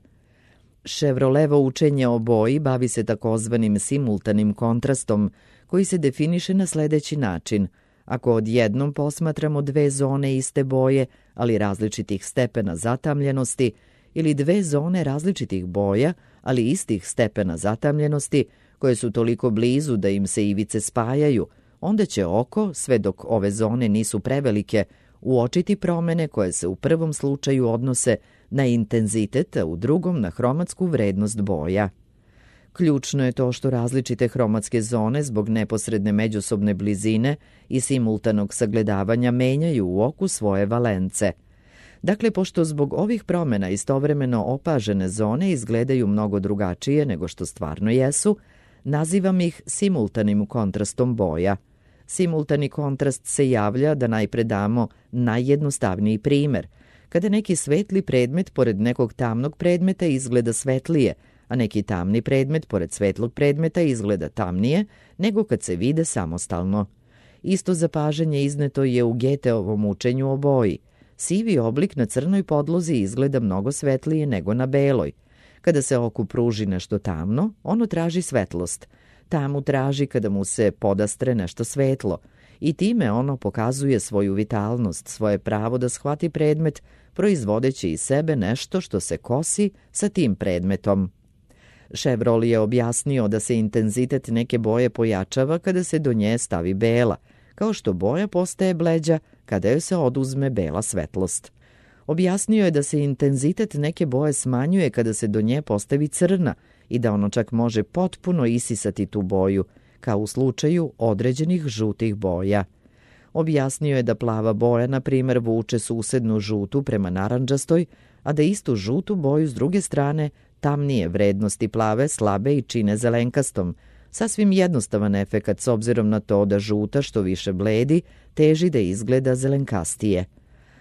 Chevrolevo učenje o boji bavi se takozvanim simultanim kontrastom, koji se definiše na sledeći način. Ako odjednom posmatramo dve zone iste boje, ali različitih stepena zatamljenosti, ili dve zone različitih boja, ali istih stepena zatamljenosti, koje su toliko blizu da im se ivice spajaju, onda će oko, sve dok ove zone nisu prevelike, uočiti promene koje se u prvom slučaju odnose na intenzitet, a u drugom na hromatsku vrednost boja. Ključno je to što različite hromatske zone zbog neposredne međusobne blizine i simultanog sagledavanja menjaju u oku svoje valence. Dakle, pošto zbog ovih promena istovremeno opažene zone izgledaju mnogo drugačije nego što stvarno jesu, nazivam ih simultanim kontrastom boja. Simultani kontrast se javlja, da najpre damo najjednostavniji primer, kada neki svetli predmet pored nekog tamnog predmeta izgleda svetlije, a neki tamni predmet pored svetlog predmeta izgleda tamnije nego kad se vide samostalno. Isto zapažanje izneto je u Goetheovom učenju o boji. Sivi oblik na crnoj podlozi izgleda mnogo svetlije nego na beloj. Kada se oku pruži nešto tamno, ono traži svetlost. Tamu traži kada mu se podastre nešto svetlo i time ono pokazuje svoju vitalnost, svoje pravo da shvati predmet, proizvodeći iz sebe nešto što se kosi sa tim predmetom. Chevreul je objasnio da se intenzitet neke boje pojačava kada se do nje stavi bela, kao što boja postaje bleđa kada joj se oduzme bela svetlost. Objasnio je da se intenzitet neke boje smanjuje kada se do nje postavi crna i da ono čak može potpuno isisati tu boju, kao u slučaju određenih žutih boja. Objasnio je da plava boja, na primjer, vuče susednu žutu prema narandžastoj, a da istu žutu boju s druge strane tamnije vrednosti plave slabe i čine zelenkastom. Sasvim jednostavan efekat s obzirom na to da žuta što više bledi teži da izgleda zelenkastije.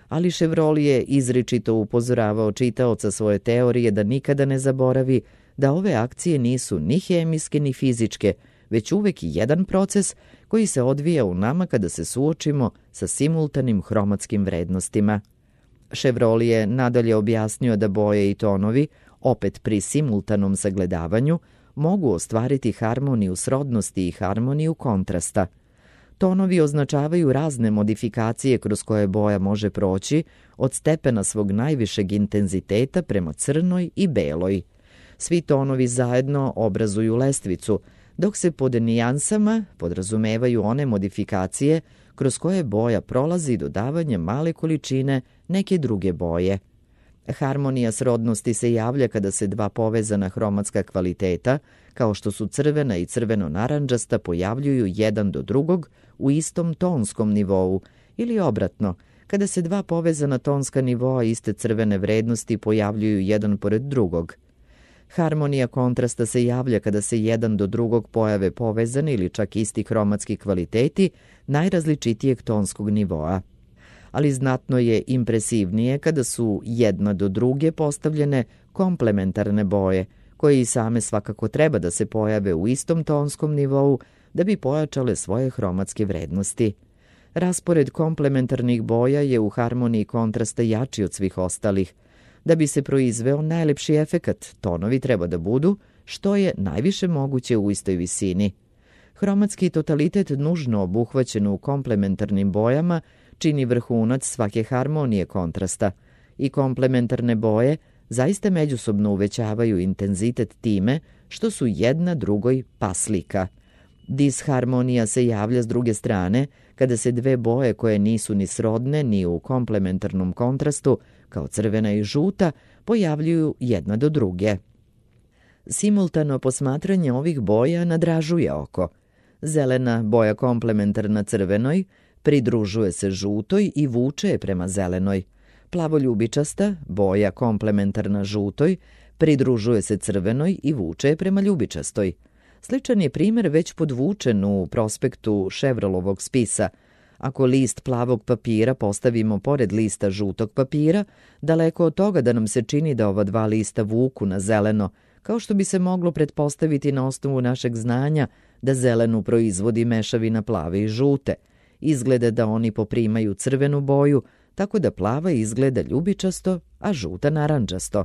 Ali Chevreul je izričito upozoravao čitaoca svoje teorije da nikada ne zaboravi da ove akcije nisu ni hemijske ni fizičke, već uvek jedan proces koji se odvija u nama kada se suočimo sa simultanim hromatskim vrednostima. Chevrolet je nadalje objasnio da boje i tonovi, opet pri simultanom sagledavanju, mogu ostvariti harmoniju srodnosti i harmoniju kontrasta. Tonovi označavaju razne modifikacije kroz koje boja može proći, od stepena svog najvišeg intenziteta prema crnoj i beloj. Svi tonovi zajedno obrazuju lestvicu, dok se pod nijansama podrazumevaju one modifikacije kroz koje boja prolazi dodavanjem male količine neke druge boje. Harmonija srodnosti se javlja kada se dva povezana hromatska kvaliteta, kao što su crvena i crveno-narandžasta, pojavljuju jedan do drugog u istom tonskom nivou, ili obratno, kada se dva povezana tonska nivoa iste crvene vrednosti pojavljuju jedan pored drugog. Harmonija kontrasta se javlja kada se jedan do drugog pojave povezani ili čak isti hromatski kvaliteti najrazličitijeg tonskog nivoa. Ali znatno je impresivnije kada su jedna do druge postavljene komplementarne boje, koje i same svakako treba da se pojave u istom tonskom nivou da bi pojačale svoje hromatske vrednosti. Raspored komplementarnih boja je u harmoniji kontrasta jači od svih ostalih. Da bi se proizveo najlepši efekat, tonovi treba da budu što je najviše moguće u istoj visini. Hromatski totalitet nužno obuhvaćen u komplementarnim bojama čini vrhunac svake harmonije kontrasta i komplementarne boje zaista međusobno uvećavaju intenzitet time što su jedna drugoj paslika. Disharmonija se javlja s druge strane kada se dve boje koje nisu ni srodne ni u komplementarnom kontrastu, kao crvena i žuta, pojavljuju jedna do druge. Simultano posmatranje ovih boja nadražuje oko. Zelena boja komplementarna crvenoj pridružuje se žutoj i vuče je prema zelenoj. Plavoljubičasta, boja komplementarna žutoj, pridružuje se crvenoj i vuče je prema ljubičastoj. Sličan je primjer već podvučen u prospektu Chevrolovog spisa. Ako list plavog papira postavimo pored lista žutog papira, daleko od toga da nam se čini da ova dva lista vuku na zeleno, kao što bi se moglo pretpostaviti na osnovu našeg znanja da zelenu proizvodi mešavina plave i žute. Izgleda da oni poprimaju crvenu boju, tako da plava izgleda ljubičasto, a žuta narandžasto.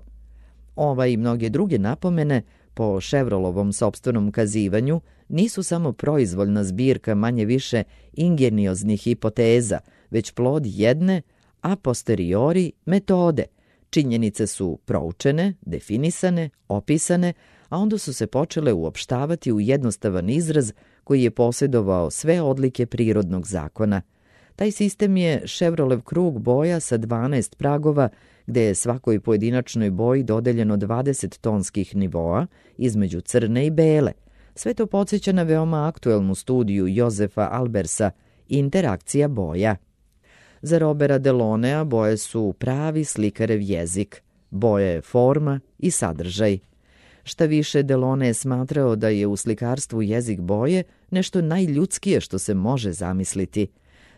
Ova i mnoge druge napomene, po Chevrolovom sopstvenom kazivanju, nisu samo proizvoljna zbirka manje više ingenioznih hipoteza, već plod jedne a posteriori metode. Činjenice su proučene, definisane, opisane, a onda su se počele uopštavati u jednostavan izraz koji je posjedovao sve odlike prirodnog zakona. Taj sistem je Chevrolev krug boja sa dvanaest pragova, gde je svakoj pojedinačnoj boji dodeljeno dvadeset tonskih nivoa između crne i bele. Sve to podsjeća na veoma aktuelnu studiju Jozefa Albersa Interakcija boja. Za Robera Delonea boje su pravi slikarev jezik. Boja je forma i sadržaj. Šta više, Delone je smatrao da je u slikarstvu jezik boje nešto najljudskije što se može zamisliti.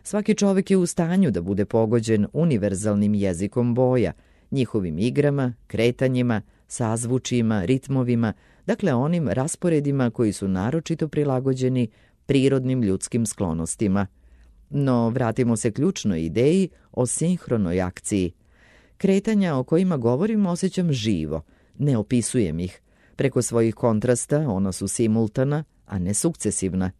Svaki čovjek je u stanju da bude pogođen univerzalnim jezikom boja, njihovim igrama, kretanjima, sazvučima, ritmovima, dakle onim rasporedima koji su naročito prilagođeni prirodnim ljudskim sklonostima. No, vratimo se ključnoj ideji o sinhronoj akciji. Kretanja o kojima govorim osjećam živo, ne opisujem ih. Preko svojih kontrasta ona su simultana, a ne sukcesivna.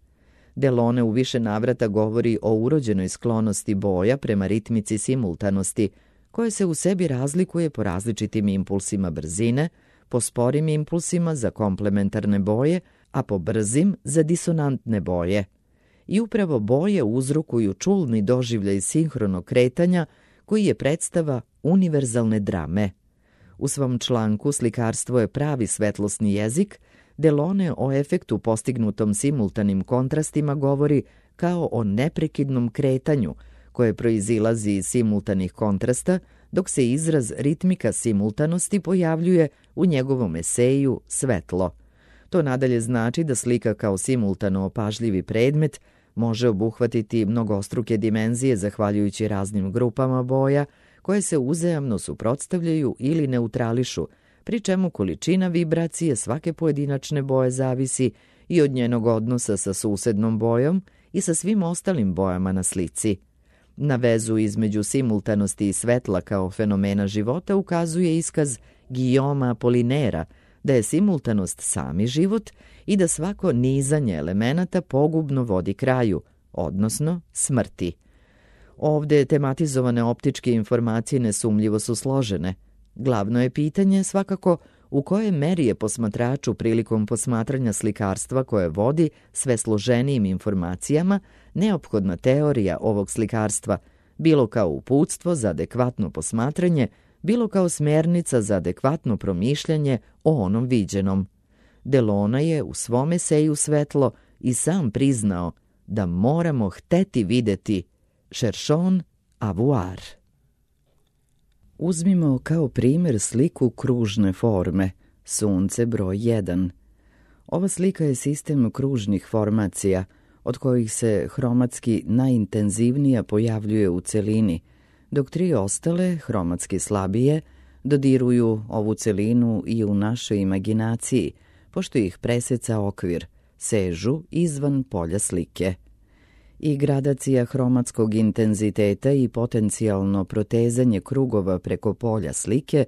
Delone u više navrata govori o urođenoj sklonosti boja prema ritmici simultanosti, koja se u sebi razlikuje po različitim impulsima brzine, po sporim impulsima za komplementarne boje, a po brzim za disonantne boje. I upravo boje uzrokuju čulni doživljaj sinhronog kretanja, koji je predstava univerzalne drame. U svom članku Slikarstvo je pravi svetlosni jezik, Delone o efektu postignutom simultanim kontrastima govori kao o neprekidnom kretanju koje proizilazi iz simultanih kontrasta, dok se izraz ritmika simultanosti pojavljuje u njegovom eseju Svetlo. To nadalje znači da slika kao simultano opažljivi predmet može obuhvatiti mnogostruke dimenzije zahvaljujući raznim grupama boja koje se uzajamno suprotstavljaju ili neutrališu, pri čemu količina vibracije svake pojedinačne boje zavisi i od njenog odnosa sa susednom bojom i sa svim ostalim bojama na slici. Na vezu između simultanosti i svetla kao fenomena života ukazuje iskaz Guillauma Apollinairea da je simultanost sami život i da svako nizanje elemenata pogubno vodi kraju, odnosno smrti. Ovde tematizovane optičke informacije nesumljivo su složene. Glavno je pitanje svakako u kojoj meri je posmatraču prilikom posmatranja slikarstva koje vodi sve složenijim informacijama neophodna teorija ovog slikarstva, bilo kao uputstvo za adekvatno posmatranje, bilo kao smjernica za adekvatno promišljanje o onom viđenom. Delona je u svom eseju Svetlo i sam priznao da moramo hteti videti cherchons à voir. Uzmimo kao primjer sliku kružne forme, Sunce broj jedan. Ova slika je sistem kružnih formacija, od kojih se hromatski najintenzivnija pojavljuje u celini, dok tri ostale, hromatski slabije, dodiruju ovu celinu i u našoj imaginaciji, pošto ih preseca okvir, sežu izvan polja slike. I gradacija hromatskog intenziteta i potencijalno protezanje krugova preko polja slike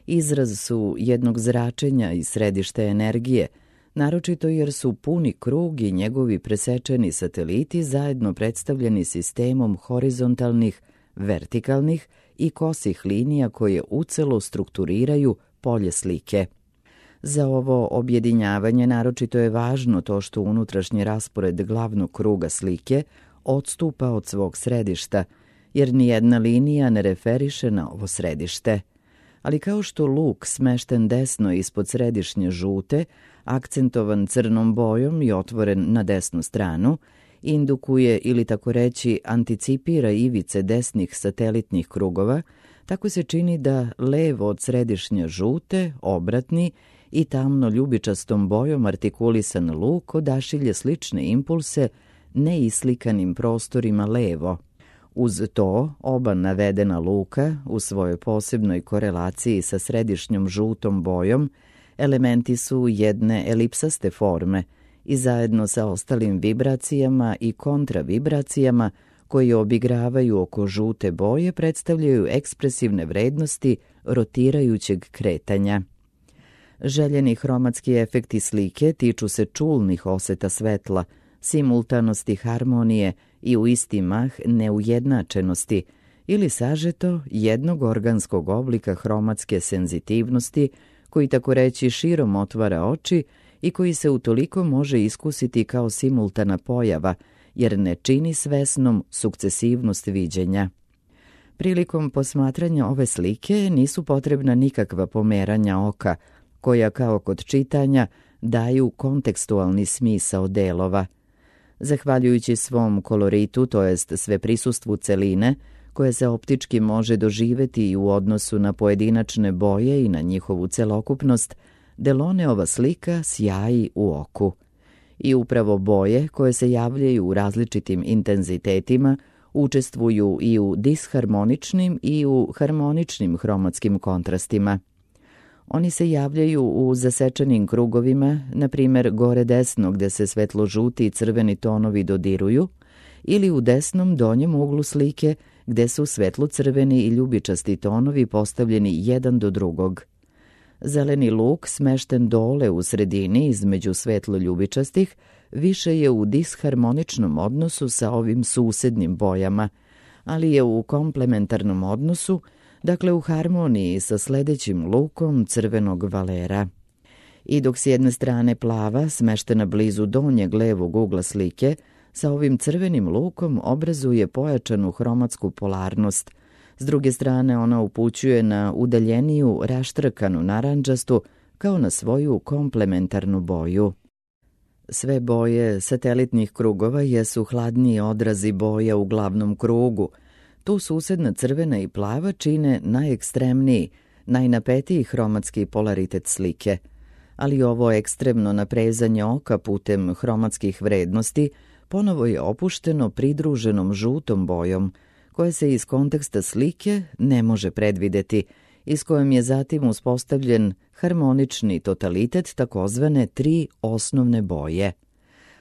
izraz su jednog zračenja i središte energije, naročito jer su puni krug i njegovi presečeni sateliti zajedno predstavljeni sistemom horizontalnih, vertikalnih i kosih linija koje ucelo strukturiraju polje slike. Za ovo objedinjavanje naročito je važno to što unutrašnji raspored glavnog kruga slike odstupa od svog središta, jer nijedna linija ne referiše na ovo središte. Ali kao što luk smešten desno ispod središnje žute, akcentovan crnom bojom i otvoren na desnu stranu, indukuje ili tako reći anticipira ivice desnih satelitnih krugova, tako se čini da levo od središnje žute, obratni i tamno ljubičastom bojom artikulisan luk odašilje slične impulse neislikanim prostorima levo. Uz to, oba navedena luka, u svojoj posebnoj korelaciji sa središnjom žutom bojom, elementi su jedne elipsaste forme i zajedno sa ostalim vibracijama i kontravibracijama koje obigravaju oko žute boje predstavljaju ekspresivne vrednosti rotirajućeg kretanja. Željeni hromatski efekti slike tiču se čulnih oseta svetla, simultanosti harmonije i u isti mah neujednačenosti ili sažeto jednog organskog oblika hromatske senzitivnosti koji tako reći širom otvara oči i koji se utoliko može iskusiti kao simultana pojava jer ne čini svesnom sukcesivnost viđenja. Prilikom posmatranja ove slike nisu potrebna nikakva pomeranja oka koja kao kod čitanja daju kontekstualni smisao delova. Zahvaljujući svom koloritu, to jest sve prisustvu celine, koje se optički može doživeti i u odnosu na pojedinačne boje i na njihovu celokupnost, Deloneova slika sjaji u oku. I upravo boje, koje se javljaju u različitim intenzitetima, učestvuju i u disharmoničnim i u harmoničnim hromatskim kontrastima. Oni se javljaju u zasečenim krugovima, na primjer gore desno gde se svetlo-žuti i crveni tonovi dodiruju, ili u desnom donjem uglu slike gde su svetlo-crveni i ljubičasti tonovi postavljeni jedan do drugog. Zeleni luk, smešten dole u sredini između svetlo-ljubičastih, više je u disharmoničnom odnosu sa ovim susednim bojama, ali je u komplementarnom odnosu, dakle u harmoniji sa sledećim lukom crvenog valera. I dok s jedne strane plava, smeštena blizu donjeg levog ugla slike, sa ovim crvenim lukom obrazuje pojačanu hromatsku polarnost, s druge strane ona upućuje na udaljeniju raštrkanu narandžastu kao na svoju komplementarnu boju. Sve boje satelitnih krugova jesu hladniji odrazi boja u glavnom krugu. Tu susedna crvena i plava čine najekstremniji, najnapetiji hromatski polaritet slike, ali ovo ekstremno naprezanje oka putem hromatskih vrednosti ponovo je opušteno pridruženom žutom bojom, koje se iz konteksta slike ne može predvideti i s kojom je zatim uspostavljen harmonični totalitet takozvane tri osnovne boje.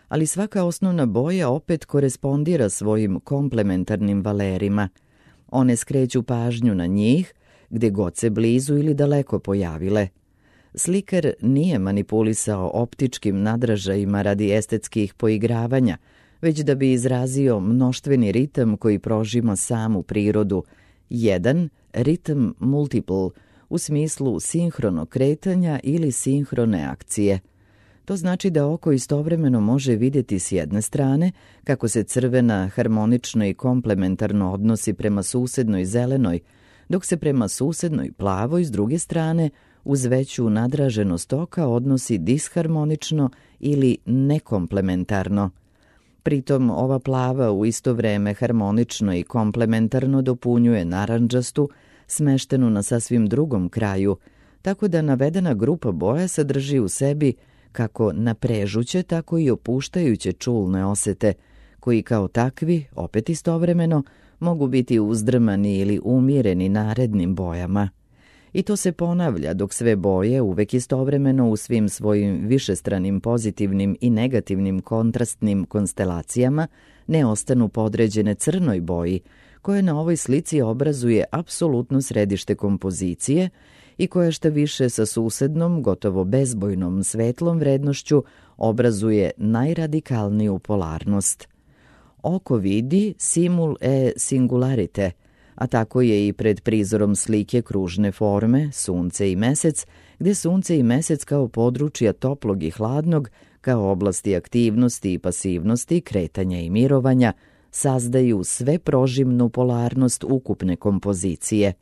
ali svaka osnovna boja opet korespondira svojim komplementarnim valerima. One skreću pažnju na njih, gde god se blizu ili daleko pojavile. Slikar nije manipulisao optičkim nadražajima radi estetskih poigravanja, već da bi izrazio mnoštveni ritam koji prožima samu prirodu. Jedan, ritam multiple, u smislu sinhronog kretanja ili sinhrone akcije. To znači da oko istovremeno može vidjeti s jedne strane kako se crvena harmonično i komplementarno odnosi prema susednoj zelenoj, dok se prema susednoj plavoj s druge strane uz veću nadraženost oka odnosi disharmonično ili nekomplementarno. Pritom ova plava u isto vreme harmonično i komplementarno dopunjuje narandžastu, smeštenu na sasvim drugom kraju, tako da navedena grupa boja sadrži u sebi kako naprežuće, tako i opuštajuće čulne osete, koji kao takvi, opet istovremeno, mogu biti uzdrmani ili umireni narednim bojama. I to se ponavlja dok sve boje uvek istovremeno u svim svojim višestranim pozitivnim i negativnim kontrastnim konstelacijama ne ostanu podređene crnoj boji, koja na ovoj slici obrazuje apsolutno središte kompozicije i koja šta više sa susednom, gotovo bezbojnom svetlom vrednošću obrazuje najradikalniju polarnost. Oko vidi simul e singularite, a tako je i pred prizorom slike kružne forme, sunce i mesec, gde sunce i mesec kao područja toplog i hladnog, kao oblasti aktivnosti i pasivnosti, kretanja i mirovanja, sazdaju sve prožimnu polarnost ukupne kompozicije.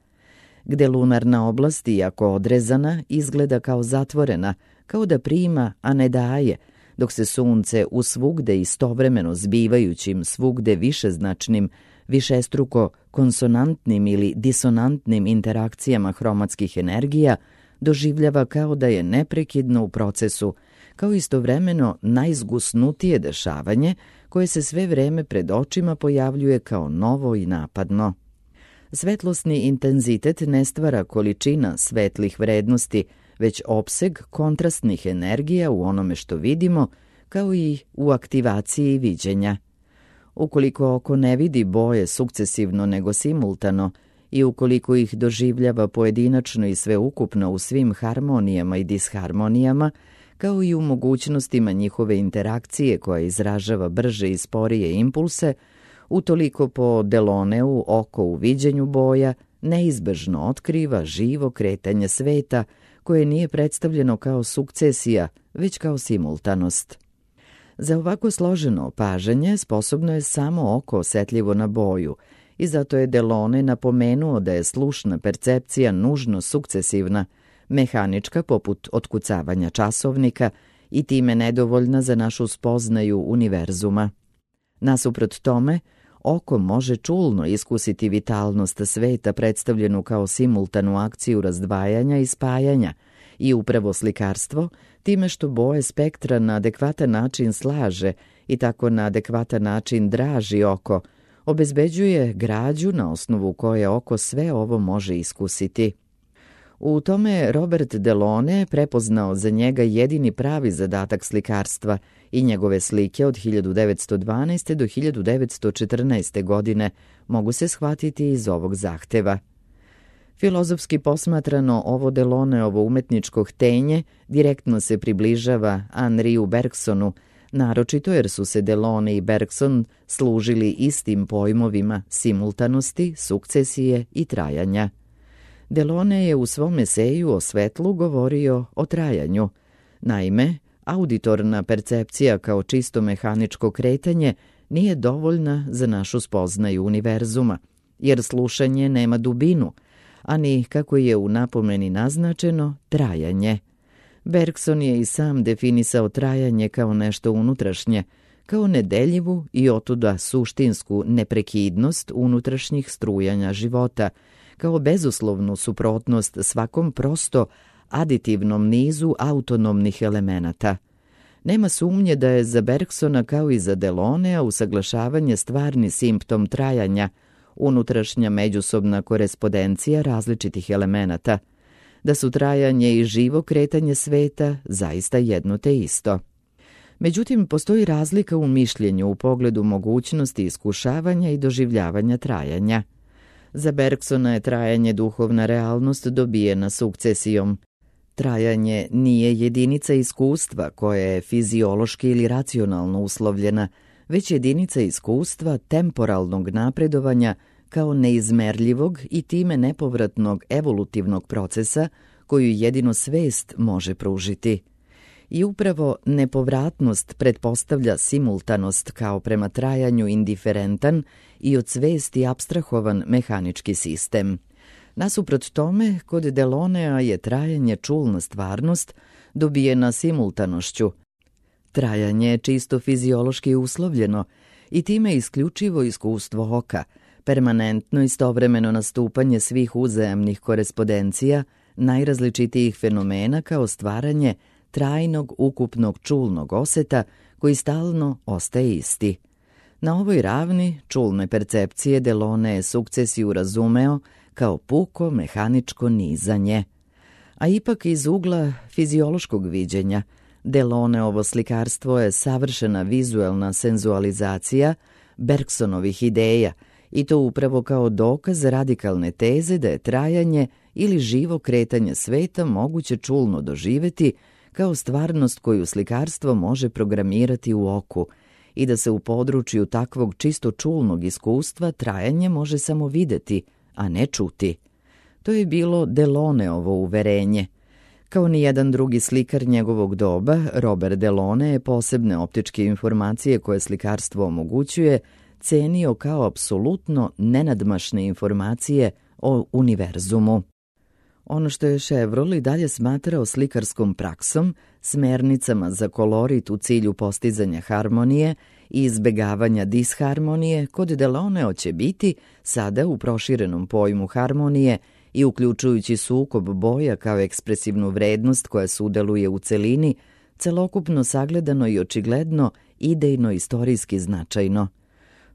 Gde lunarna oblast, iako odrezana, izgleda kao zatvorena, kao da prima, a ne daje, dok se sunce u svugde istovremeno zbivajućim svugde višeznačnim, višestruko konsonantnim ili disonantnim interakcijama hromatskih energija doživljava kao da je neprekidno u procesu, kao istovremeno najzgusnutije dešavanje koje se sve vreme pred očima pojavljuje kao novo i napadno. Svetlosni intenzitet ne stvara količina svetlih vrednosti, već opseg kontrastnih energija u onome što vidimo, kao i u aktivaciji viđenja. Ukoliko oko ne vidi boje sukcesivno nego simultano i ukoliko ih doživljava pojedinačno i sveukupno u svim harmonijama i disharmonijama, kao i u mogućnostima njihove interakcije koja izražava brže i sporije impulse, utoliko po Deloneu oko u viđenju boja neizbežno otkriva živo kretanje sveta koje nije predstavljeno kao sukcesija, već kao simultanost. Za ovako složeno opažanje sposobno je samo oko osetljivo na boju i zato je Delone napomenuo da je slušna percepcija nužno sukcesivna, mehanička poput otkucavanja časovnika i time nedovoljna za našu spoznaju univerzuma. Nasuprot tome, oko može čulno iskusiti vitalnost sveta predstavljenu kao simultanu akciju razdvajanja i spajanja i upravo slikarstvo, time što boje spektra na adekvatan način slaže i tako na adekvatan način draži oko, obezbeđuje građu na osnovu koje oko sve ovo može iskusiti. U tome je Robert Delone prepoznao za njega jedini pravi zadatak slikarstva i njegove slike od hiljadu devetsto dvanaeste. do hiljadu devetsto četrnaeste. godine mogu se shvatiti iz ovog zahteva. Filozofski posmatrano, ovo Deloneovo umetničko htenje direktno se približava Henriu Bergsonu, naročito jer su se Delone i Bergson služili istim pojmovima simultanosti, sukcesije i trajanja. Delone je u svom eseju o svetlu govorio o trajanju. Naime, auditorna percepcija kao čisto mehaničko kretanje nije dovoljna za našu spoznaju univerzuma, jer slušanje nema dubinu, ani, kako je u napomeni naznačeno, trajanje. Bergson je i sam definisao trajanje kao nešto unutrašnje, kao nedeljivu i otuda suštinsku neprekidnost unutrašnjih strujanja života, kao bezuslovnu suprotnost svakom prosto aditivnom nizu autonomnih elemenata. Nema sumnje da je za Bergsona kao i za Delonea usaglašavanje stvarni simptom trajanja, unutrašnja međusobna korespondencija različitih elemenata, da su trajanje i živo kretanje sveta zaista jedno te isto. Međutim, postoji razlika u mišljenju u pogledu mogućnosti iskušavanja i doživljavanja trajanja. Za Bergsona je trajanje duhovna realnost dobijena sukcesijom. Trajanje nije jedinica iskustva koja je fiziološki ili racionalno uslovljena, već jedinica iskustva temporalnog napredovanja kao neizmerljivog i time nepovratnog evolutivnog procesa koju jedino svest može pružiti. I upravo nepovratnost pretpostavlja simultanost kao prema trajanju indiferentan i od svesti apstrahovan mehanički sistem. Nasuprot tome, kod Delonea je trajanje čulna stvarnost dobijena simultanošću. Trajanje je čisto fiziološki uslovljeno i time isključivo iskustvo oka, permanentno istovremeno nastupanje svih uzajamnih korespondencija, najrazličitijih fenomena kao stvaranje trajnog ukupnog čulnog oseta koji stalno ostaje isti. Na ovoj ravni čulne percepcije Delone je sukcesiju razumeo kao puko mehaničko nizanje. A ipak iz ugla fiziološkog viđenja, Deloneovo slikarstvo je savršena vizuelna senzualizacija Bergsonovih ideja i to upravo kao dokaz radikalne teze da je trajanje ili živo kretanje sveta moguće čulno doživeti kao stvarnost koju slikarstvo može programirati u oku i da se u području takvog čisto čulnog iskustva trajanje može samo videti, a ne čuti. To je bilo Deloneovo uverenje. Kao ni jedan drugi slikar njegovog doba, Robert Delone je posebne optičke informacije koje slikarstvo omogućuje cenio kao apsolutno nenadmašne informacije o univerzumu. Ono što je Chevreul i dalje smatrao slikarskom praksom, smernicama za kolorit u cilju postizanja harmonije i izbegavanja disharmonije, kod Delonea će biti, sada u proširenom pojmu harmonije i uključujući sukob boja kao ekspresivnu vrednost koja sudeluje u celini, celokupno sagledano i očigledno, idejno-istorijski značajno.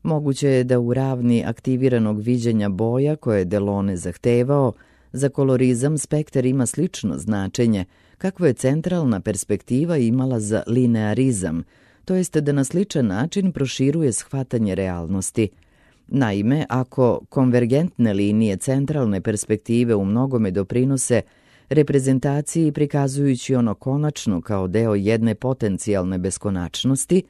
Moguće je da u ravni aktiviranog viđenja boja koje je Delone zahtevao, za kolorizam spektar ima slično značenje, kakvo je centralna perspektiva imala za linearizam, to jeste da na sličan način proširuje shvatanje realnosti. Naime, ako konvergentne linije centralne perspektive u mnogome doprinose reprezentaciji prikazujući ono konačno kao deo jedne potencijalne beskonačnosti,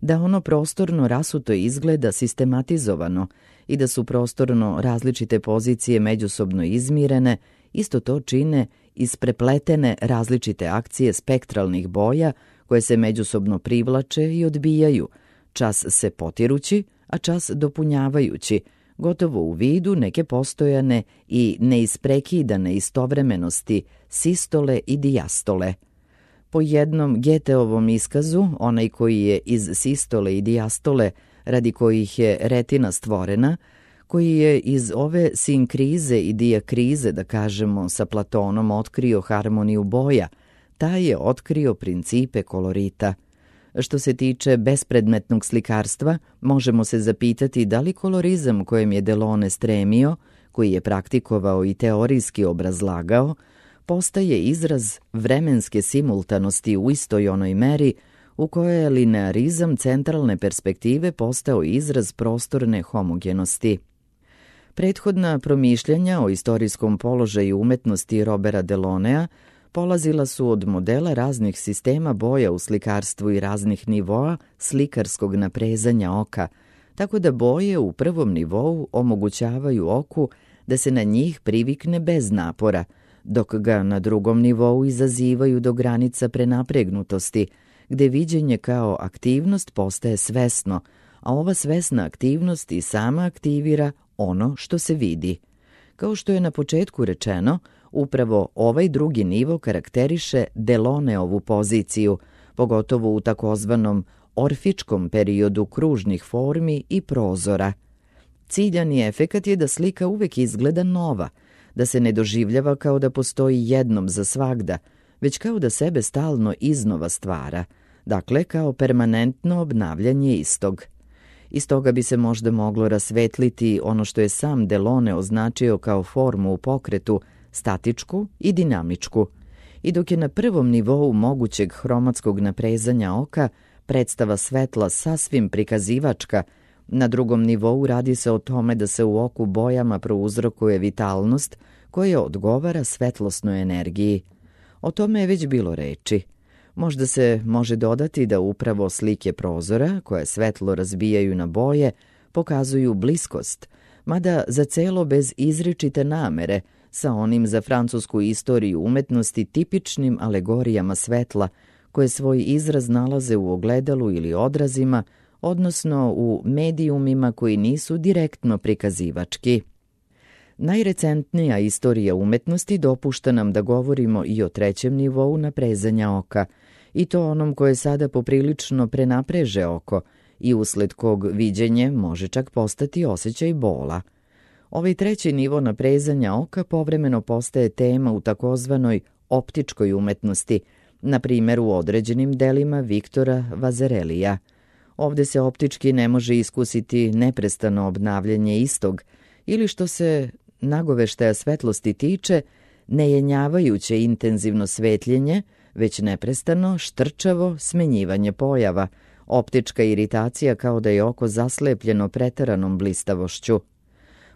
da ono prostorno rasuto izgleda sistematizovano i da su prostorno različite pozicije međusobno izmirene, isto to čine isprepletene različite akcije spektralnih boja koje se međusobno privlače i odbijaju, čas se potirući, a čas dopunjavajući, gotovo u vidu neke postojane i neisprekidane istovremenosti sistole i dijastole. Po jednom Goetheovom iskazu, onaj koji je iz sistole i dijastole, radi kojih je retina stvorena, koji je iz ove sinkrize i dijakrize, da kažemo, sa Platonom otkrio harmoniju boja, taj je otkrio principe kolorita. Što se tiče bespredmetnog slikarstva, možemo se zapitati da li kolorizam kojem je Delone stremio, koji je praktikovao i teorijski obrazlagao, postaje izraz vremenske simultanosti u istoj onoj meri u kojoj je linearizam centralne perspektive postao izraz prostorne homogenosti. Prethodna promišljanja o istorijskom položaju umetnosti Roberta Delonea polazila su od modela raznih sistema boja u slikarstvu i raznih nivoa slikarskog naprezanja oka, tako da boje u prvom nivou omogućavaju oku da se na njih privikne bez napora, dok ga na drugom nivou izazivaju do granica prenapregnutosti, gde viđenje kao aktivnost postaje svesno, a ova svesna aktivnost i sama aktivira ono što se vidi. Kao što je na početku rečeno, upravo ovaj drugi nivo karakteriše Deloneovu poziciju, pogotovo u takozvanom orfičkom periodu kružnih formi i prozora. Ciljani efekat je da slika uvek izgleda nova, da se ne doživljava kao da postoji jednom za svagda, već kao da sebe stalno iznova stvara, dakle kao permanentno obnavljanje istog. Iz toga bi se možda moglo rasvetliti ono što je sam Delone označio kao formu u pokretu, statičku i dinamičku. I dok je na prvom nivou mogućeg hromatskog naprezanja oka predstava svetla sasvim prikazivačka, na drugom nivou radi se o tome da se u oku bojama prouzrokuje vitalnost koja odgovara svetlosnoj energiji. O tome je već bilo reči. Možda se može dodati da upravo slike prozora, koje svetlo razbijaju na boje, pokazuju bliskost, mada za celo bez izričite namere, sa onim za francusku istoriju umetnosti tipičnim alegorijama svetla, koje svoj izraz nalaze u ogledalu ili odrazima, odnosno u medijumima koji nisu direktno prikazivački. Najrecentnija istorija umetnosti dopušta nam da govorimo i o trećem nivou naprezanja oka, i to onom koje sada poprilično prenapreže oko i usled kog viđenje može čak postati osjećaj bola. Ovaj treći nivo naprezanja oka povremeno postaje tema u takozvanoj optičkoj umetnosti, na primjer u određenim delima Viktora Vazerelija. Ovde se optički ne može iskusiti neprestano obnavljanje istog, ili što se nagoveštaja svetlosti tiče, nejenjavajuće intenzivno svetljenje, već neprestano, štrčavo smenjivanje pojava, optička iritacija kao da je oko zaslepljeno preteranom blistavošću.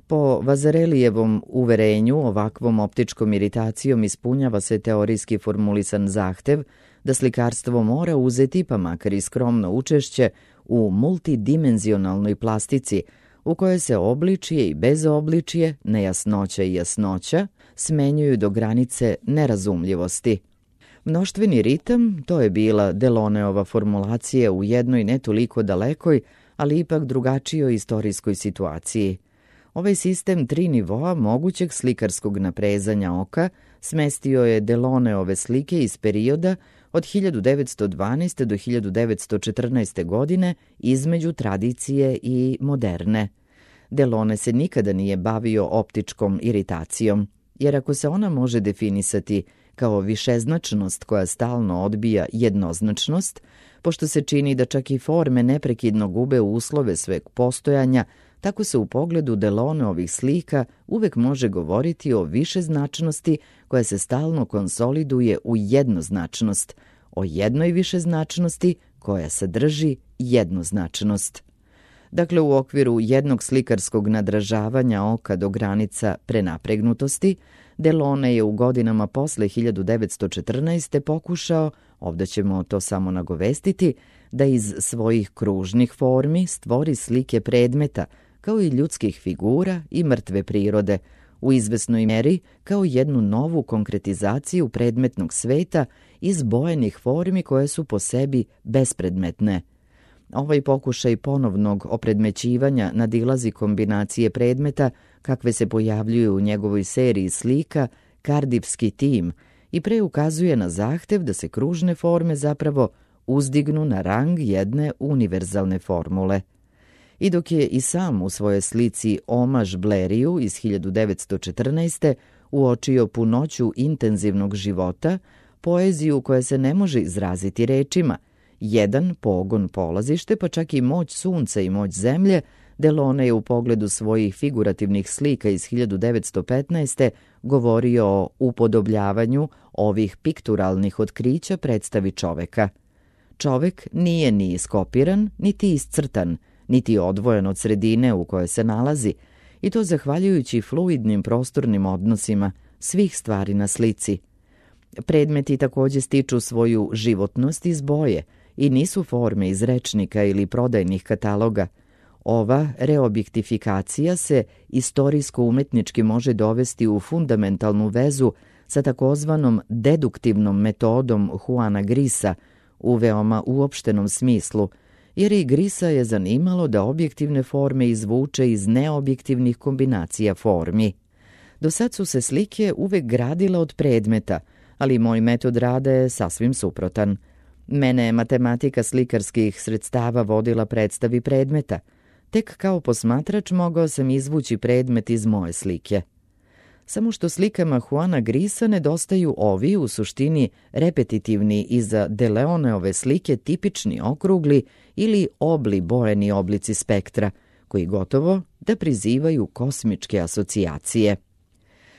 Po Vazarelijevom uverenju, ovakvom optičkom iritacijom ispunjava se teorijski formulisan zahtev da slikarstvo mora uzeti, pa makar i skromno učešće, u multidimenzionalnoj plastici, u kojoj se obličje i bezobličje, nejasnoća i jasnoća, smenjuju do granice nerazumljivosti. Mnoštveni ritam, to je bila Deloneova formulacija u jednoj ne toliko dalekoj, ali ipak drugačijoj istorijskoj situaciji. Ovaj sistem tri nivoa mogućeg slikarskog naprezanja oka smestio je Deloneove slike iz perioda od hiljadu devetsto dvanaeste. do hiljadu devetsto četrnaeste. godine između tradicije i moderne. Delone se nikada nije bavio optičkom iritacijom, jer ako se ona može definisati kao višeznačnost koja stalno odbija jednoznačnost, pošto se čini da čak i forme neprekidno gube uslove sveg postojanja, tako se u pogledu Deloneovih slika uvek može govoriti o višeznačnosti koja se stalno konsoliduje u jednoznačnost, o jednoj višeznačnosti koja sadrži jednoznačnost. Dakle, u okviru jednog slikarskog nadražavanja oka do granica prenapregnutosti, Delone je u godinama posle hiljadu devetsto četrnaeste. pokušao, ovdje ćemo to samo nagovestiti, da iz svojih kružnih formi stvori slike predmeta, kao i ljudskih figura i mrtve prirode, u izvesnoj meri kao jednu novu konkretizaciju predmetnog sveta iz bojenih formi koje su po sebi bespredmetne. Ovaj pokušaj ponovnog opredmećivanja nadilazi kombinacije predmeta kakve se pojavljuju u njegovoj seriji slika Kardivski tim i pre ukazuje na zahtev da se kružne forme zapravo uzdignu na rang jedne univerzalne formule. I dok je i sam u svojoj slici Omaž Bleriju iz hiljadu devetsto četrnaeste. uočio punoću intenzivnog života, poeziju koja se ne može izraziti rečima, jedan pogon polazište, pa čak i moć sunca i moć zemlje, Delone je u pogledu svojih figurativnih slika iz hiljadu devetsto petnaeste. govorio o upodobljavanju ovih pikturalnih otkrića predstavi čoveka. Čovek nije ni iskopiran, niti iscrtan, niti odvojen od sredine u kojoj se nalazi, i to zahvaljujući fluidnim prostornim odnosima svih stvari na slici. Predmeti također stiču svoju životnost iz boje i nisu forme iz rečnika ili prodajnih kataloga. Ova reobjektifikacija se istorijsko-umetnički može dovesti u fundamentalnu vezu sa takozvanom deduktivnom metodom Juana Grisa u veoma uopštenom smislu, jer i Grisa je zanimalo da objektivne forme izvuče iz neobjektivnih kombinacija formi. Do sad su se slike uvek gradile od predmeta, ali moj metod rada je sasvim suprotan. Mene je matematika slikarskih sredstava vodila predstavi predmeta. Tek kao posmatrač mogao sam izvući predmet iz moje slike. Samo što slikama Juana Grisa nedostaju ovi, u suštini repetitivni i za Deleoneove slike tipični okrugli ili obli bojeni oblici spektra, koji gotovo da prizivaju kosmičke asocijacije.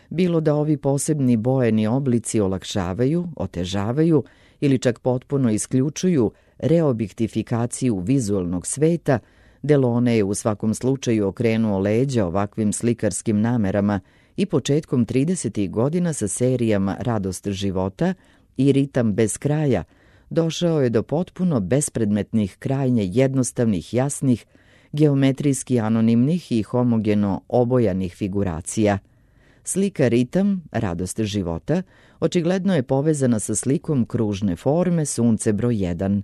Bilo da ovi posebni bojeni oblici olakšavaju, otežavaju ili čak potpuno isključuju reobjektifikaciju vizualnog sveta, Delaunay je u svakom slučaju okrenuo leđa ovakvim slikarskim namerama i početkom tridesetih godina sa serijama Radost života i Ritam bez kraja došao je do potpuno bespredmetnih, krajnje jednostavnih, jasnih, geometrijski anonimnih i homogeno obojanih figuracija. Slika Ritam, Radost života, očigledno je povezana sa slikom kružne forme Sunce broj jedan.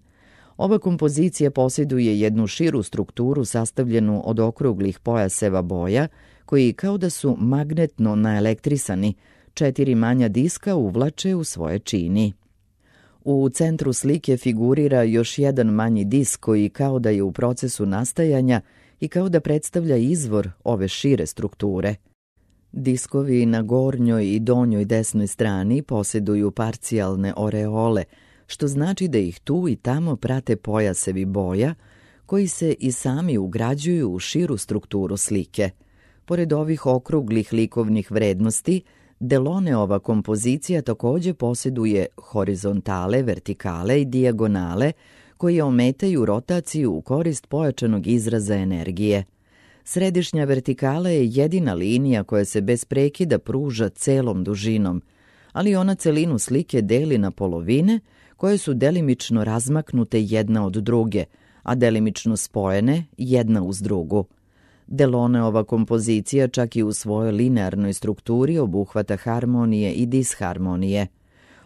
Ova kompozicija posjeduje jednu širu strukturu sastavljenu od okruglih pojaseva boja, koji kao da su magnetno naelektrisani, četiri manja diska uvlače u svoje čini. U centru slike figurira još jedan manji disk koji kao da je u procesu nastajanja i kao da predstavlja izvor ove šire strukture. Diskovi na gornjoj i donjoj desnoj strani posjeduju parcijalne oreole, što znači da ih tu i tamo prate pojasevi boja, koji se i sami ugrađuju u širu strukturu slike. Pored ovih okruglih likovnih vrednosti, Delaunayova kompozicija također posjeduje horizontale, vertikale i dijagonale, koje ometaju rotaciju u korist pojačanog izraza energije. Središnja vertikala je jedina linija koja se bez prekida pruža celom dužinom, ali ona celinu slike deli na polovine, koje su delimično razmaknute jedna od druge, a delimično spojene jedna uz drugu. Delaunayova kompozicija čak i u svojoj linearnoj strukturi obuhvata harmonije i disharmonije.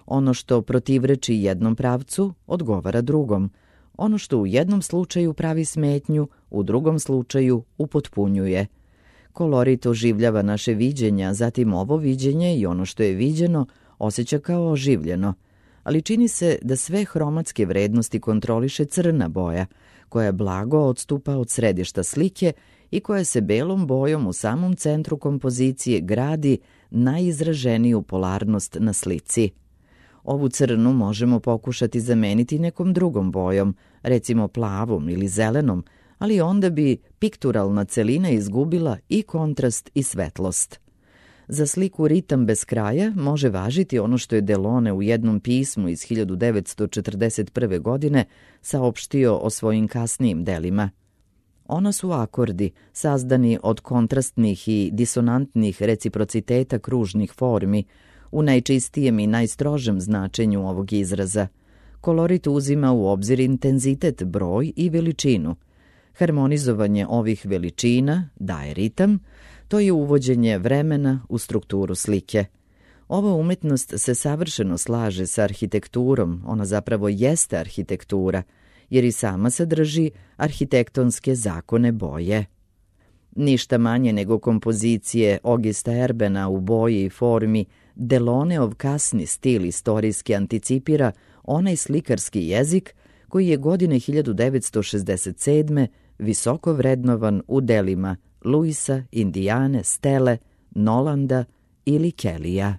Ono što protivreči jednom pravcu odgovara drugom. Ono što u jednom slučaju pravi smetnju, u drugom slučaju upotpunjuje. Kolorit oživljava naše viđenja, zatim ovo viđenje i ono što je viđeno osjeća kao oživljeno. Ali čini se da sve hromatske vrednosti kontroliše crna boja, koja blago odstupa od središta slike i koja se belom bojom u samom centru kompozicije gradi najizraženiju polarnost na slici. Ovu crnu možemo pokušati zameniti nekom drugom bojom, recimo plavom ili zelenom, ali onda bi pikturalna celina izgubila i kontrast i svetlost. Za sliku Ritam bez kraja može važiti ono što je Delaunay u jednom pismu iz hiljadu devetsto četrdeset prve. godine saopštio o svojim kasnijim delima. Ona su akordi, sazdani od kontrastnih i disonantnih reciprociteta kružnih formi, u najčistijem i najstrožem značenju ovog izraza. Kolorit uzima u obzir intenzitet, broj i veličinu. Harmonizovanje ovih veličina daje ritam, to je uvođenje vremena u strukturu slike. Ova umetnost se savršeno slaže sa arhitekturom, ona zapravo jeste arhitektura, jer i sama sadrži arhitektonske zakone boje. Ništa manje nego kompozicije Augusta Erbena u boji i formi, Delaunayov kasni stil istorijski anticipira onaj slikarski jezik koji je godine hiljadu devetsto šezdeset sedme. visoko vrednovan u delima Luisa, Indiane, Stele, Nolanda ili Kellija.